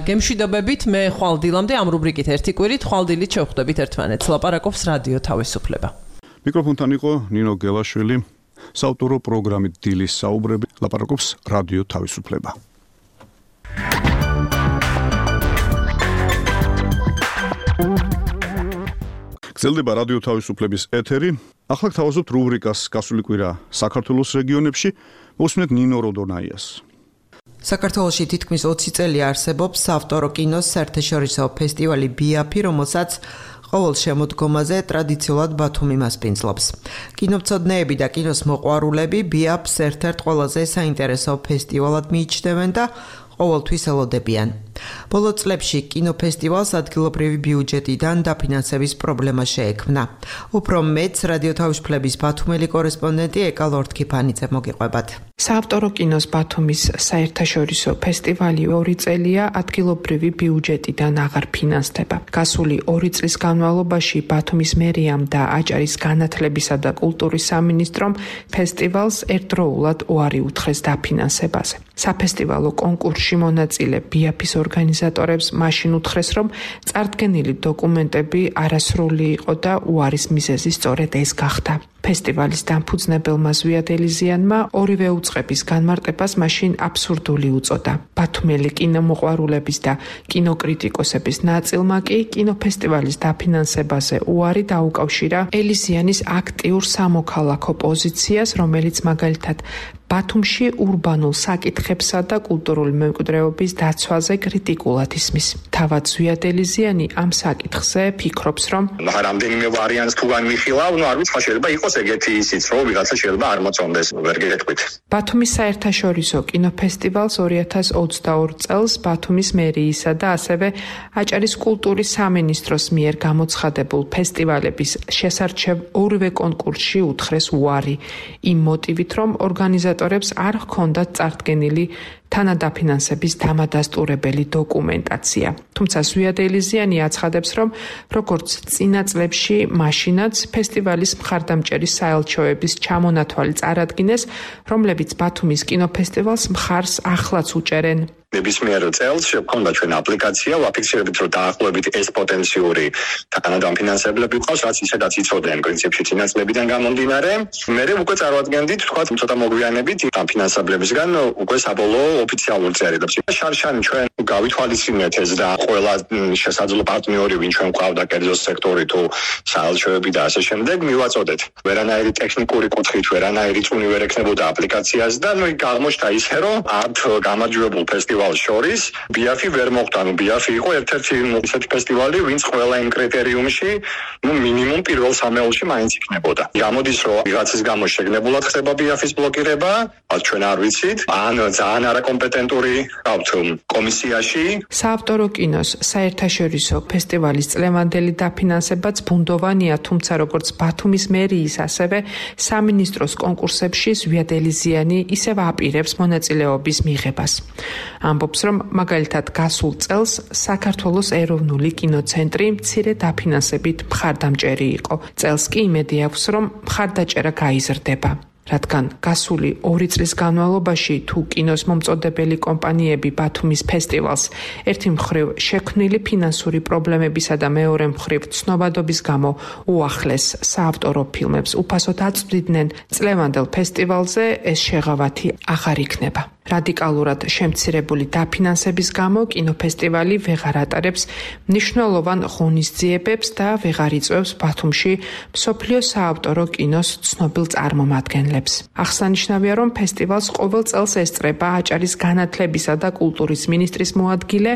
გემშვიდობებით მე ხვალ დილამდე ამ რუბრიკით ერთი კვირით ხვალ დილით შევხვდებით ერთმანეთს ლაპარაკობს რადიო თავისუფლება მიკროფონთან იყო ნინო გელაშვილი საავტორო პროგრამით დილის საუბრები ლაპარაკობს რადიო თავისუფლება გრძელდება რადიო თავისუფლების ეთერი ახლა გთავაზობთ რუბრიკას გასული კვირა საქართველოს რეგიონებში მოსმენთ ნინო როდონაიას საქართველოში თითქმის ოცი წელი არსებობს საავტორო კინოს საერთაშორისო ფესტივალი ბიაფი, რომელსაც ყოველ შემოდგომაზე ტრადიციულად ბათუმი მასპინძლობს. კინომცოდნეები და კინოს მოყვარულები ბიაფს ერთ-ერთ ყველაზე საინტერესო ფესტივალად მიიჩნევენ და ყოველთვის ელოდებიან. ბოლო წლებში კინოფესტივალს ადგილობრივი ბიუჯეტიდან დაფინანსების პრობლემა შეექმნა. უფრო მეც რადიო თავისუფლების ბათუმელი კორესპონდენტი ეკა ლორთქიფანიძე მოგიყვებათ. საავტორო კინოს ბათუმის საერთაშორისო ფესტივალი ორი წელია ადგილობრივი ბიუჯეტიდან აღარ ფინანსდება. გასული ორი წლის განმავლობაში ბათუმის მერიამ და აჭარის განათლებისა და კულტურის სამინისტრომ ფესტივალს ერთდროულად უარი უთხრეს დაფინანსებაზე. საფესტივალო კონკურსში მონაწილე ბიაფის ორგანიზატორებს მაშინ უთხრეს, რომ წარდგენილი დოკუმენტები არასრული იყო და უარის მიზეზი სწორედ ეს გახდა. ფესტივალის დამფუძნებელმა ზვიად ელიზიანმა ორივე უწყების განმარტებას მაშინ აბსურდული უწოდა. ბათუმელი კინომოყვარულების და კინოკრიტიკოსების ნაწილმა კი კინოფესტივალის დაფინანსებაზე უარი დაუკავშირა ელიზიანის აქტიურ სამოქალაქო პოზიციას, რომელიც მაგალითად ბათუმში ურბანულ საკითხებსა და კულტურული მემკვიდრეობის დაცვაზე კრიტიკულად ისმის. თავად ზვიად ელიზიანი ამ საკითხზე ფიქრობს, რომ რამდენიმე ვარიანტს თუ განვიხილავ, ნუ არ ვიცი, შეიძლება იყოს ეგეთი ისიც, რომ ვიღაცა შეიძლება არ მოწონდეს, ვერ გეტყვით. ბათუმის საერთაშორისო კინოფესტივალს ორი ათას ოცდაორი წელს ბათუმის მერიისა და ასევე აჭარის კულტურის სამინისტროს მიერ გამოცხადებულ ფესტივალების შესარჩევ ორივე კონკურსში უთხრეს უარი, იმ მოტივით, რომ ორგანიზატორებს არ ჰქონდათ წარდგენილი თანადაფინანსების დამადასტურებელი დოკუმენტაცია. თუმცა ზვიად ელიზიანი აცხადებს, რომ როგორც წინა წლებში, მაშინაც ფესტივალის მხარდამჭერის საელჩოების ჩამონათვალი წარადგინეს, რომლებიც ბათუმის კინოფესტივალს მხარს ახლაც უჭერენ. ნებისმიერ წელს შეგვქონდა ჩვენ აპლიკაცია, ვაფიქსირებით, რომ დაახლოებით ეს პოტენციური თანადამფინანსებლები ყავს, რაც ისედაც იცოდნენ პრინციპში წინაწლებიდან გამომდინარე. მერე უკვე წარმოადგენდით, თქვა, ცოტა მოგვიანებით ამ ფინანსებლებისგან უკვე საბოლოო ოფიციალურ წერილებს. შარშანი ჩვენ გავითვალისწინეთ ეს და ყველა შესაძლო პარტნიორი ვინ ჩვენ გვყავდა კერძო სექტორი თუ საელჩოები და ასე შემდეგ მივაწოდეთ. ვერანაირი ტექნიკური კუთხით ვერანაირი წუნი ვერ ექნებოდა აპლიკაციას და ნუ აღმოჩნდა ისე რომ ართ გამარჯვებულ ფესტივალს შორის ბიაფი ვერ მოხვდა. ნუ ბიაფი იყო ერთ-ერთი ისეთი ფესტივალი ვინც ყველა იმ კრიტერიუმში ნუ მინიმუმ პირველ სამეულში მაინც იქნებოდა. გამოდის რომ ვიღაცის გამო შეგნებულად ხდება ბიაფის ბლოკირება, რაც ჩვენ არ ვიცით, ან ძალიან არაკომპეტენტური გავთ კომისიაში. საავტორო კინოს საერთაშორისო ფესტივალის წლევანდელი დაფინანსებაც ბუნდოვანია, თუმცა როგორც ბათუმის მერიის, ასევე სამინისტროს კონკურსებში ზვიად ელიზიანი ისევ აპირებს მონაწილეობის მიღებას. ამბობს, რომ მაგალითად გასულ წელს საქართველოს ეროვნული კინოცენტრი მცირე დაფინანსებით მხარდამჭერი იყო. წელს კი იმედი აქვს, რომ მხარდაჭერა გაიზრდება. რადგან გასული ორი წლის განმავლობაში თუ კინოს მომწოდებელი კომპანიები ბათუმის ფესტივალს ერთი მხრივ შექმნილი ფინანსური პრობლემებისა და მეორე მხრივ ცნობადობის გამო უახლეს საავტორო ფილმებს უფასოდ აწვდიდნენ, წლევანდელ ფესტივალზე ეს შეღავათი აღარ იქნება. რადიკალურად შემცირებული დაფინანსების გამო კინოფესტივალი ვეღარ ატარებს მნიშვნელოვან ღონისძიებებს და ვეღარ იწვევს ბათუმში მსოფლიო საავტორო კინოს ცნობილ წარმომადგენლებს. აღსანიშნავია, რომ ფესტივალს ყოველ წელს ესწრება აჭარის განათლებისა და კულტურის მინისტრის მოადგილე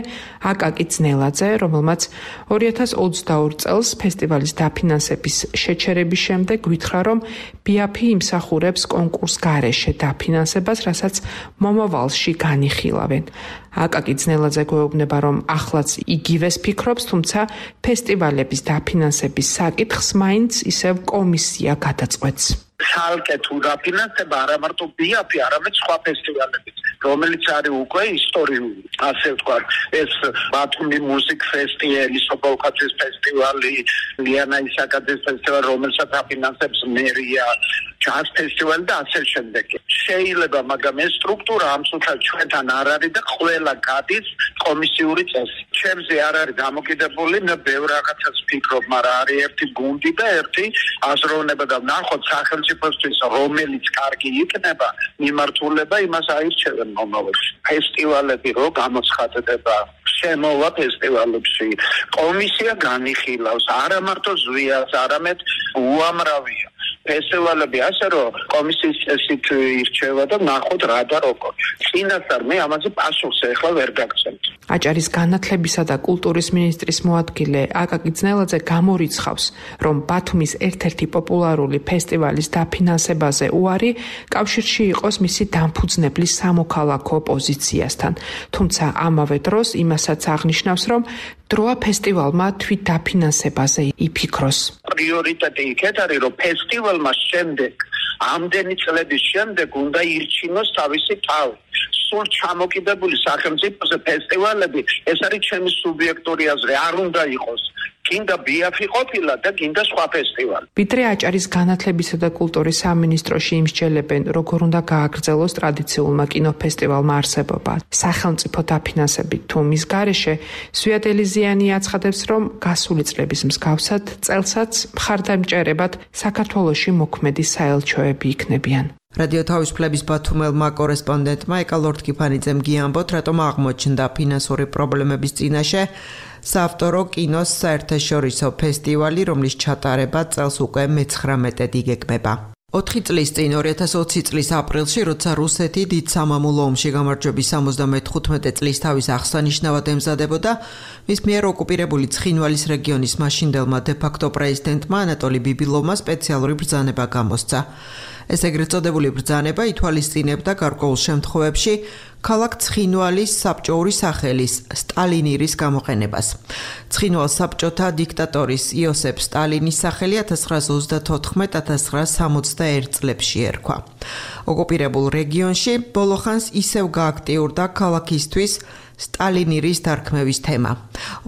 აკაკი ძნელაძე, რომელმაც ორი ათას ოცდაორ წელს ფესტივალის დაფინანსების შეჩერების შემდეგ გვითხრა, რომ ბიაფი იმსახურებს კონკურს გარეშე დაფინანსებას, რასაც მომავალში განიხილავენ. აკაკი ძნელაძე გვეუბნება, რომ ახლაც იგივეს ფიქრობს, თუმცა ფესტივალების დაფინანსების საკითხს მაინც ისევ კომისია გადაწყვეტს. ხალხე თუ დაფინანსება არა მარტო ბიაფი, არამედ სხვა ფესტივალებიც, რომელიც არის უკვე ისტორიული, ასე ვთქვათ, ეს ბათუმი მუსიკ ფესტივალი, სოფოლკაცის ფესტივალი, ლიანა ისაკაძის ფესტივალი, რომელსაც აფინანსებს მერია, ჯაზ ფესტივალი და ასე შემდეგ. შეიძლება, მაგრამ ეს სტრუქტურა ამ სულთან ჩვენთან არ არის და ყველა გადის კომისიური წესი. ჩემზე არ არის დამოკიდებული, მე ბევრ რაღაცას ვფიქრობ, მაგრამ არის ერთი გუნდი და ერთი აზროვნება და ნახოთ სახელმწიფოსთვის რომელიც კარგი იქნება, მიმართულება იმას აირჩევენ მომავალში. ფესტივალები რო გამოცხადდება, შემოვა ფესტივალებში, კომისია განიხილავს, არა მარტო ზვიას, არამედ უამრავია. ფესტივალები ასე რომ კომისიის წესით ირჩევა და ნახოთ რა და როგორ. წინასწარ მე ამაზე პასუხს ახლა ვერ გაგცემთ. აჭარის განათლებისა და კულტურის მინისტრის მოადგილე აკაკი ძნელაძე გამორიცხავს, რომ ბათუმის ერთ-ერთი პოპულარული ფესტივალის დაფინანსებაზე უარი კავშირში იყოს მისი დამფუძნებლის სამოქალაქო პოზიციასთან. თუმცა ამავე დროს იმასაც აღნიშნავს, რომ დროა ფესტივალმა თვით დაფინანსებაზე იფიქროს. პრიორიტეტი იქეთ არის, რომ ფესტივალმა შემდეგ, ამდენი წლების შემდეგ უნდა ირჩინოს თავისი თავი. სულ ჩამოკიდებული სახელმწიფოზე ფესტივალები, ეს არის ჩემი სუბიექტური აზრი, არ უნდა იყოს. გინდა ბიაფი ყოფილა და გინდა სხვა ფესტივალი. ვიდრე აჭარის განათლებისა და კულტურის სამინისტროში იმსჯელებენ, როგორ უნდა გააგრძელოს ტრადიციულმა კინოფესტივალმა არსებობა. სახელმწიფო დაფინანსებით თუ მის გარეშე, ზვიად ელიზიანი აცხადებს, რომ გასული წლების მსგავსად წელსაც მხარდამჭერებად საქართველოში მოქმედი საელჩოები იქნებიან. რადიო თავისუფლების ბათუმელმა კორესპონდენტმა ეკალორდ-კიფანიძემ გიამბოთ, რატომ აღმოჩნდა ფინანსური პრობლემების წინაშე საავტორო კინოს საერთაშორისო ფესტივალი, რომლის ჩატარება წელს უკვე მეცხრამეტედ იგეგმება. ოთხი წლის წინ ორი ათას ოცი წლის აპრილში, როცა რუსეთი დიდ სამამულო ომში გამარჯვების სამოცდამეხუთმეტე წლის თავის აღსანიშნავად ემზადებოდა, მის მიერ ოკუპირებული ცხინვალის რეგიონის მაშინდელმა დე-ფაქტო პრეზიდენტმა ანატოლი ბიბილოვმა სპეციალური ბრძანება გამოსცა. ეს ეგრეთ წოდებული ბრძანება ითვალისწინებდა გარკვეულ შემთხვევებში ქალაქ ცხინვალის საბჭოური სახელის სტალინირის გამოყენებას. ცხინვალს საბჭოთა დიქტატორის იოსებ სტალინის სახელი ათას ცხრაასა ოცდათოთხმეტ ათას ცხრაასა სამოცდაერთ წლებში ერქვა. ოკუპირებულ რეგიონში ბოლოხანს ისევ გააქტიურდა ქალაქისთვის სტალინირის დარქმევის თემა.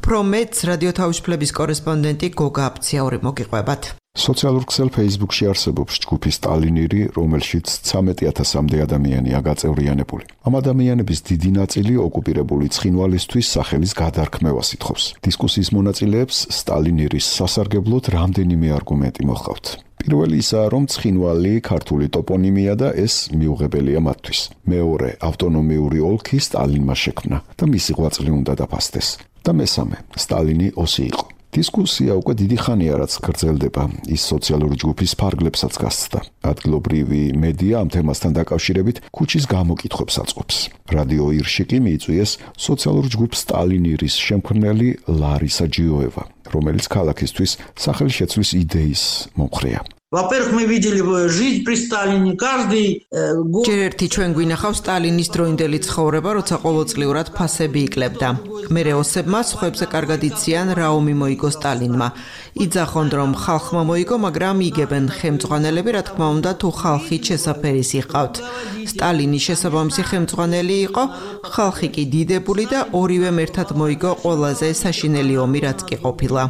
უფრო მეც რადიო თავისუფლების კორესპონდენტი გოგა აფციური მოგიყვებათ. სოციალურ ქსელ Facebook-ში არსებობს ჯგუფი სტალინირი, რომელშიც ცამეტი ათასამდე ადამიანია გაწევრიანებული. ამ ადამიანების დიდი ნაწილი ოკუპირებული ცხინვალისთვის სახელის გადარქმევას ითხოვს. დისკუსიის მონაწილეებს სტალინირის სასარგებლოდ რამდენიმე არგუმენტი მოჰყავთ. პირველი ისაა, რომ ცხინვალი ქართული ტოპონიმია და ეს მიუღებელია მათთვის. მეორე, ავტონომიური ოლქი სტალინმა შექმნა და მისი ღვაწლი უნდა დაფასდეს. და მესამე, სტალინი ოსი იყო. დისკუსია უკვე დიდი ხანია რაც გრძელდება, ის სოციალური ჯგუფის ფარგლებსაც გასცდა. ადგილობრივი მედია ამ თემასთან დაკავშირებით ქუჩის გამოკითხვებს აწყობს. რადიო ირში კი მიიწვიეს სოციალურ ჯგუფ სტალინირის შემქმნელი ლარისა ჯიოევა, რომელიც ქალაქისთვის სახელშეცვლის იდეის მომხრეა. Во-первых, мы видели жизнь при Сталине, каждый год. ჯერ ერთი ჩვენ გვინახავს სტალინის დროინდელი ცხოვრება, როცა ყოველწლიურად ფასები იკლებდა. მერე ოსებმა სხვებზე კარგად იციან რა ომი მოიგო სტალინმა. იძახონ რომ ხალხმა მოიგო, მაგრამ იგებენ ხელმძღვანელები, რა თქმა უნდა, თუ ხალხი შესაფერის იყავთ. სტალინის შესაბამისი ხელმძღვანელი იყო, ხალხი კი დიდებული და ორივემ ერთად მოიგო ყველაზე საშინელი ომი, რაც კი ყოფილა.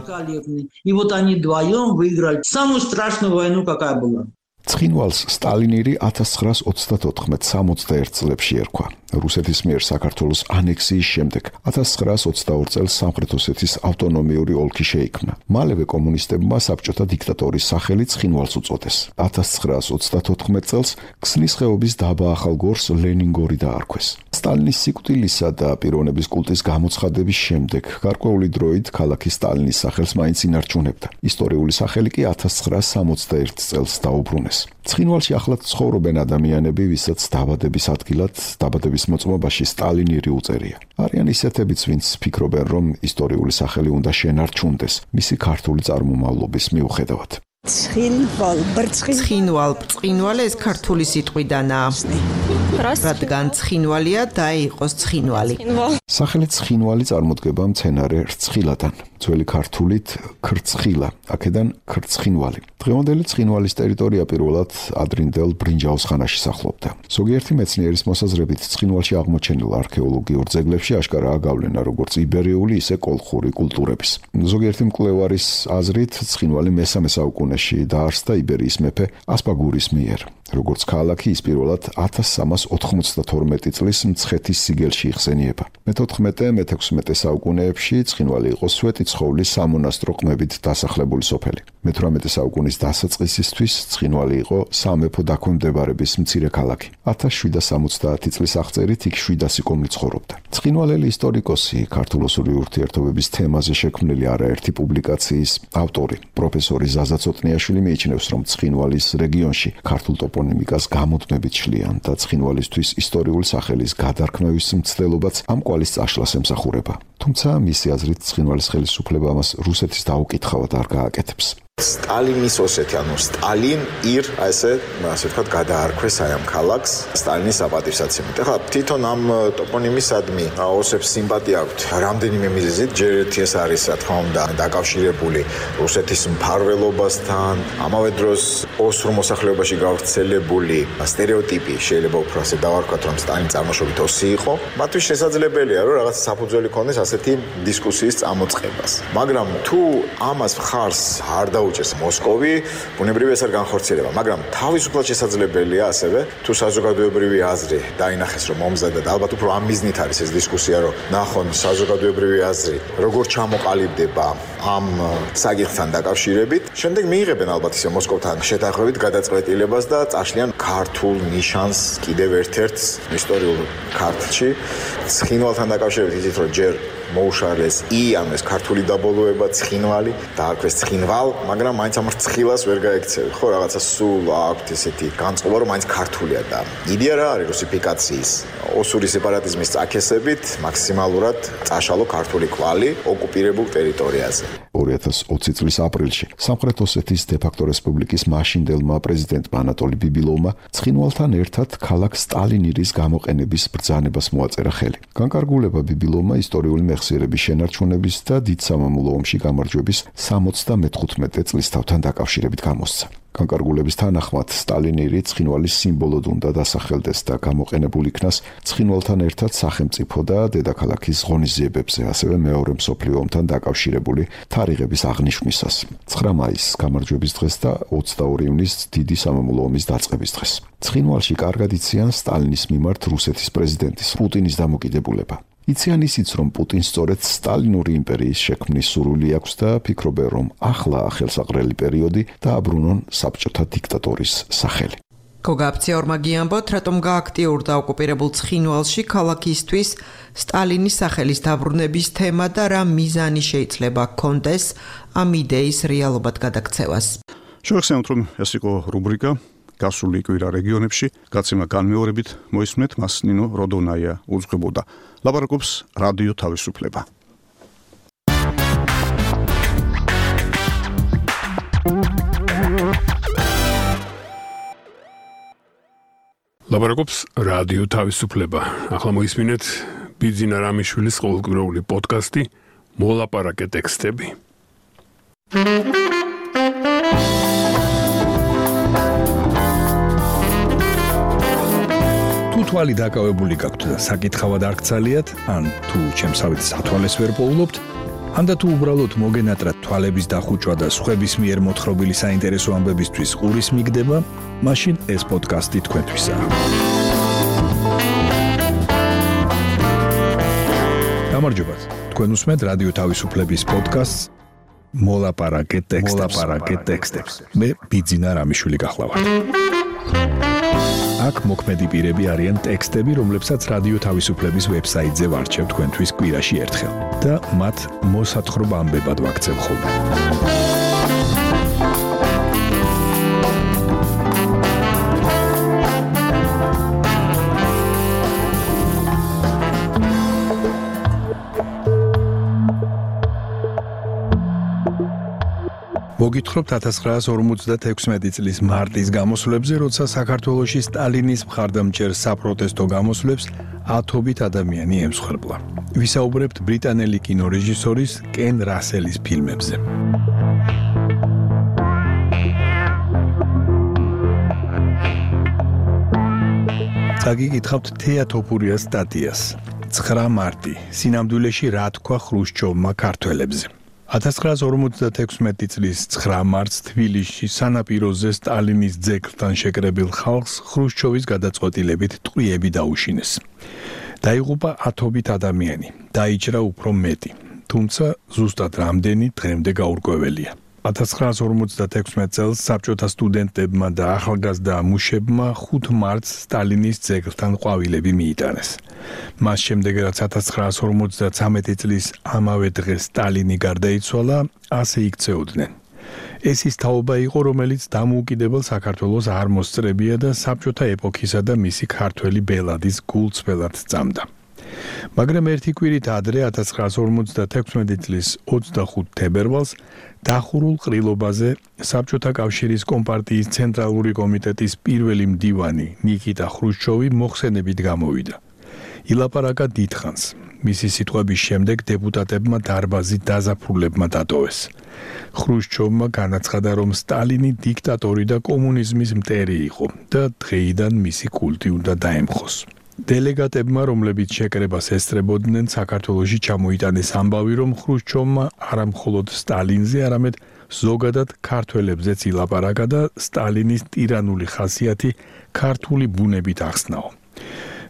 И вот они вдвоем выиграли самую страшную войну, какая была. ცხინვალს სტალინირი ათას ცხრაას ოცდათოთხმეტ სამოცდაერთ წლებში ერქვა. რუსეთის მიერ საქართველოს ანექსიის შემდეგ ათას ცხრაას ოცდაორ წელს სამხრეთ ოსეთის ავტონომიური ოლქი შეიქმნა. მალევე კომუნისტებმა საბჭოთა დიქტატორის სახელი ცხინვალს უწოდეს. ათას ცხრაას ოცდათოთხმეტ წელს ქსნის ხეობის დაბა ახალგორს ლენინგორი დაარქვეს. სტალინის სიკვდილისა და პიროვნების კულტის გამოცხადების შემდეგ გარკვეული დროით ქალაქი სტალინის სახელს მაინც ინარჩუნებდა. ისტორიული სახელი კი ათას ცხრაას სამოცდაერთ წელს დაუბრუნეს. ცხინვალში ახლად ცხოვრობენ ადამიანები, ვისაც დაბადების ადგილად, დაბადების მოწმობაში სტალინირი უწერია. არიან ისეთებიც, ვინც ფიქრობენ, რომ ისტორიული სახელი უნდა შენარჩუნდეს მისი ქართული წარმომავლობის მიუხედავად. ცხინვალ, ცხინვალ, ცხინვალე ეს ქართული სიტყვიდანაა. რადგან ცხინვალია და იყოს ცხინვალი. სახელი ცხინვალი წარმოდგება მცენარე რცხილადან. ძველი ქართულით ქრცხილა, აქედან ქრცხინვალი. დღევანდელი ცხინვალის ტერიტორია პირველად ადრინდელ ბრინჯაოს ხანაში სახლობდა. ზოგიერთი მეცნიერის მოსაზრებით ცხინვალში აღმოჩენილ არქეოლოგიურ ძეგლებში აშკარაა გავლენა როგორც იბერიული, ისე კოლხური კულტურების. ზოგიერთი მკვლევარის აზრით ცხინვალი მესამე საუკუნეში დაარსდა იბერიის მეფე ასპაგურის მიერ. როგორც ქალაქი ის პირველად ათას სამას ოთხმოცდათორმეტი წლის მცხეთის სიგელში იხსენიება. მეთოთხმეტე მეთექვსმეტე საუკუნეებში ცხინვალი იყო სვეტი ცხოვლის სამონასტრო ყმებით დასახლებული სოფელი. მეთვრამეტე საუკუნის დასაწყისისთვის ცხინვალი იყო სამეფო დაქვემდებარების მცირე ქალაქი. ათას შვიდას სამოცდაათი წლის აღწერით იქ შვიდასი კომი ცხოვრობდა. ცხინვალელი ისტორიკოსი, ქართულ-ოსური ურთიერთობების თემაზე შექმნილი არაერთი პუბლიკაციის ავტორი, პროფესორი ზაზა ცოტნიაშვილი მიიჩნევს, რომ ცხინვალის რეგიონში ქართულ ტოპონიმიკას გამუდმებით შლიან და ცხინვალისთვის ისტორიული სახელის გადარქმევის მცდელობაც ამ კვალის წაშლას ემსახურება. თუმცა მისი აზრით ცხინვალის ხელისუფლება ამას რუსეთის დაუკითხავად არ გააკეთებს. სტალინის ოსეთი, ანუ სტალინ ირ, ასე, ასე ვთქვათ, გადაარქვეს აი ამ ქალაქს სტალინის საპატივსაცემად. ეხლა თვითონ ამ ტოპონიმისადმი ოსებს სიმპათია აქვთ რამდენიმე მიზეზით. ჯერ ერთი ეს არის, რა თქმა უნდა, დაკავშირებული რუსეთის მფარველობასთან, ამავე დროს ოსურ მოსახლეობაში გავრცელებული სტერეოტიპი, შეიძლება უფრო ასე დავარქვათ, რომ სტალინი წარმოშობით ოსი იყო. მათთვის შესაძლებელია, რომ რაღაც საფუძველი ქონდეს ასეთი დისკუსიის წამოწყებას. მაგრამ თუ ამას მხარს არ უჭერს მოსკოვი, ბუნებრივია ეს არ განხორციელება, მაგრამ თავისუფლად შესაძლებელია ასევე, თუ საზოგადოებრივი აზრი დაინახეს, რომ მომზადდა და ალბათ უფრო ამ მიზნით არის ეს დისკუსია, რომ ნახონ საზოგადოებრივი აზრი, როგორ ჩამოყალიბდება ამ საკითხთან დაკავშირებით. შემდეგ მიიღებენ ალბათ ისე მოსკოვთან შეთანხმებით გადაწყვეტილებას და წაშლიან ქართულ ნიშანს კიდევ ერთ-ერთ ისტორიულ ქართლში. ცხინვალთან დაკავშირებით იცით, რომ ჯერ მოუშალეს ი, ანუ ეს ქართული დაბოლოება ცხინვალი, დაარქვეს ცხინვალ, მაგრამ მაინც ამ რცხილას ვერ გაექცევი. ხო, რაღაცა სულ აქვთ ესეთი განწყობა, რომ მაინც ქართულია და იდეა რა არის რუსიფიკაციის, ოსური სეპარატიზმის წაქესებით მაქსიმალურად წაშალო ქართული კვალი ოკუპირებულ ტერიტორიაზე. ორი ათას ოცი წლის aprილში სამხრეთ ოსეთის დე-ფაქტო რესპუბლიკის მაშინდელმა პრეზიდენტმა ანატოლი ბიბილოვმა ცხინვალთან ერთად ქალაქ სტალინირის გამოყენების ბრძანებას მოაწერა ხელი. განკარგულება ბიბილოვმა ისტორიული მეხსიერების შენარჩუნების და დიდ სამამულო ომში გამარჯვების სამოცდამეთხუთმეტე წლისთავთან დაკავშირებით გამოსცა. განკარგულების თანახმად სტალინირი ცხინვალის სიმბოლოდ უნდა დასახელდეს და გამოყენებულ იქნას ცხინვალთან ერთად სახელმწიფო და დედაქალაქის ღონისძიებებზე, ასევე მეორე მსოფლიო ომთან დაკავშირებული თარიღების აღნიშვნისას. ცხრა მაისს გამარჯვების დღეს და ოცდაორი ივნისს დიდი სამამულო ომის დაწყების დღეს. ცხინვალში კარგად იციან სტალინის მიმართ რუსეთის პრეზიდენტის პუტინის დამოკიდებულება. იციან ისიც, რომ პუტინს სწორედ სტალინური იმპერიის შექმნის სურვილი აქვს და ფიქრობენ, რომ ახლა ხელსაყრელი პერიოდი დააბრუნონ საბჭოთა დიქტატორის სახელი. გოგა აფციორმა გიამბოთ, რატომ გააქტიურდა ოკუპირებულ ცხინვალში ქალაქისთვის სტალინის სახელის დაბრუნების თემა და რა მიზანი შეიძლება ჰქონდეს ამ იდეის რეალობად გადაქცევას. შევახსენოთ, რომ ეს იყო რუბრიკა გასული კვირა რეგიონებში, გაცემა განმეორებით მოისმენთ მას ნინო როდონაია უძღვებოდა. ლაპარაკობს რადიო თავისუფლება. ლაპარაკობს რადიო თავისუფლება. ახლა მოისმინეთ ბიძინა რამიშვილის ყოველკვირეული პოდკასტი მოლაპარაკე ტექსტები. თუ თვალი დაკავებული გაქვთ და საკითხავად არ გცალიათ, ან თუ ჩემსავით სათვალეს ვერ პოულობთ, ანდა თუ უბრალოდ მოგენატრათ თვალების დახუჭვა და სხვების მიერ მოთხრობილი საინტერესო ამბებისთვის ყურის მიგდება, მაშინ ეს პოდკასტი თქვენთვისაა. გამარჯობათ, თქვენ უსმენთ რადიო თავისუფლების პოდკასტს მოლაპარაკე ტექსტებს. მე ბიძინა რამიშვილი გახლავართ. აქ მოქმედი პირები არიან ტექსტები, რომლებსაც რადიო თავისუფლების ვებსაიტზე ვარჩევ თქვენთვის კვირაში ერთხელ და მათ მოსათხრობ ამბებად ვაქცევ ხოლმე. მოგითხრობთ ათას ცხრაას ორმოცდათექვსმეტი წლის მარტის გამოსვლებზე, როცა საქართველოში სტალინის მხარდამჭერ საპროტესტო გამოსვლებს ათობით ადამიანი ემსხვერპლა. ვისაუბრებთ ბრიტანელი კინორეჟისორის კენ რასელის ფილმებზე. წაგიკითხავთ თეატოფურიას სტატიას. ცხრა მარტი. სინამდვილეში რა თქვა ხრუშჩოვმა ქართველებზე. ათას ცხრაას ორმოცდათექვსმეტი წლის ცხრა მარტს თბილისში სანაპიროზე სტალინის ძეგლთან შეკრებილ ხალხს ხრუშჩოვის გადაწყვეტილებით ტყვიები დაუშინეს. დაიღუპა ათობით ადამიანი, დაიჭრა უფრო მეტი, თუმცა ზუსტად რამდენი დღემდე გაურკვეველია. ათას ცხრაას ორმოცდათექვსმეტ წელს საბჭოთა სტუდენტებმა და ახალგაზრდა მუშებმა ხუთ მარტს სტალინის ძეგლთან ყვავილები მიიტანეს. მას შემდეგ, რაც ათას ცხრაას ორმოცდათვრამეტი წლის ამავე დღეს სტალინი გარდაიცვალა, ასე იქცეოდნენ. ეს ის თაობა იყო, რომელიც დამოუკიდებელ საქართველოს არ მოსწრებია და საბჭოთა ეპოქისა და მისი ქართველი ბელადის გულწრფელად წამდა. მაგრამ ერთი კვირით ადრე ათას ცხრაას ორმოცდათექვსმეტი წლის ოცდახუთ თებერვალს დახურულ ყრილობაზე საბჭოთა კავშირის კომპარტიის ცენტრალური კომიტეტის პირველი მდივანი ნიკიტა ხრუშჩოვი მოხსენებით გამოვიდა. ილაპარაკა დიდხანს. მისი სიტყვების შემდეგ დეპუტატებმა დარბაზი დაზაფხულებმა დატოვეს. ხრუშჩოვმა განაცხადა, რომ სტალინი დიქტატორი და კომუნიზმის მტერი იყო და დღეიდან მისი კულტი უნდა დაემხოს. დელეგატებმა, რომლებიც შეკრებას ესწრებოდნენ, საქართველოში ჩამოიტანეს ამბავი, რომ ხრუშჩოვმა არა მხოლოდ სტალინზე, არამედ ზოგადად ქართველებზეც ილაპარაკა და სტალინის ტირანული ხასიათი ქართული ბუნებით ახსნაო.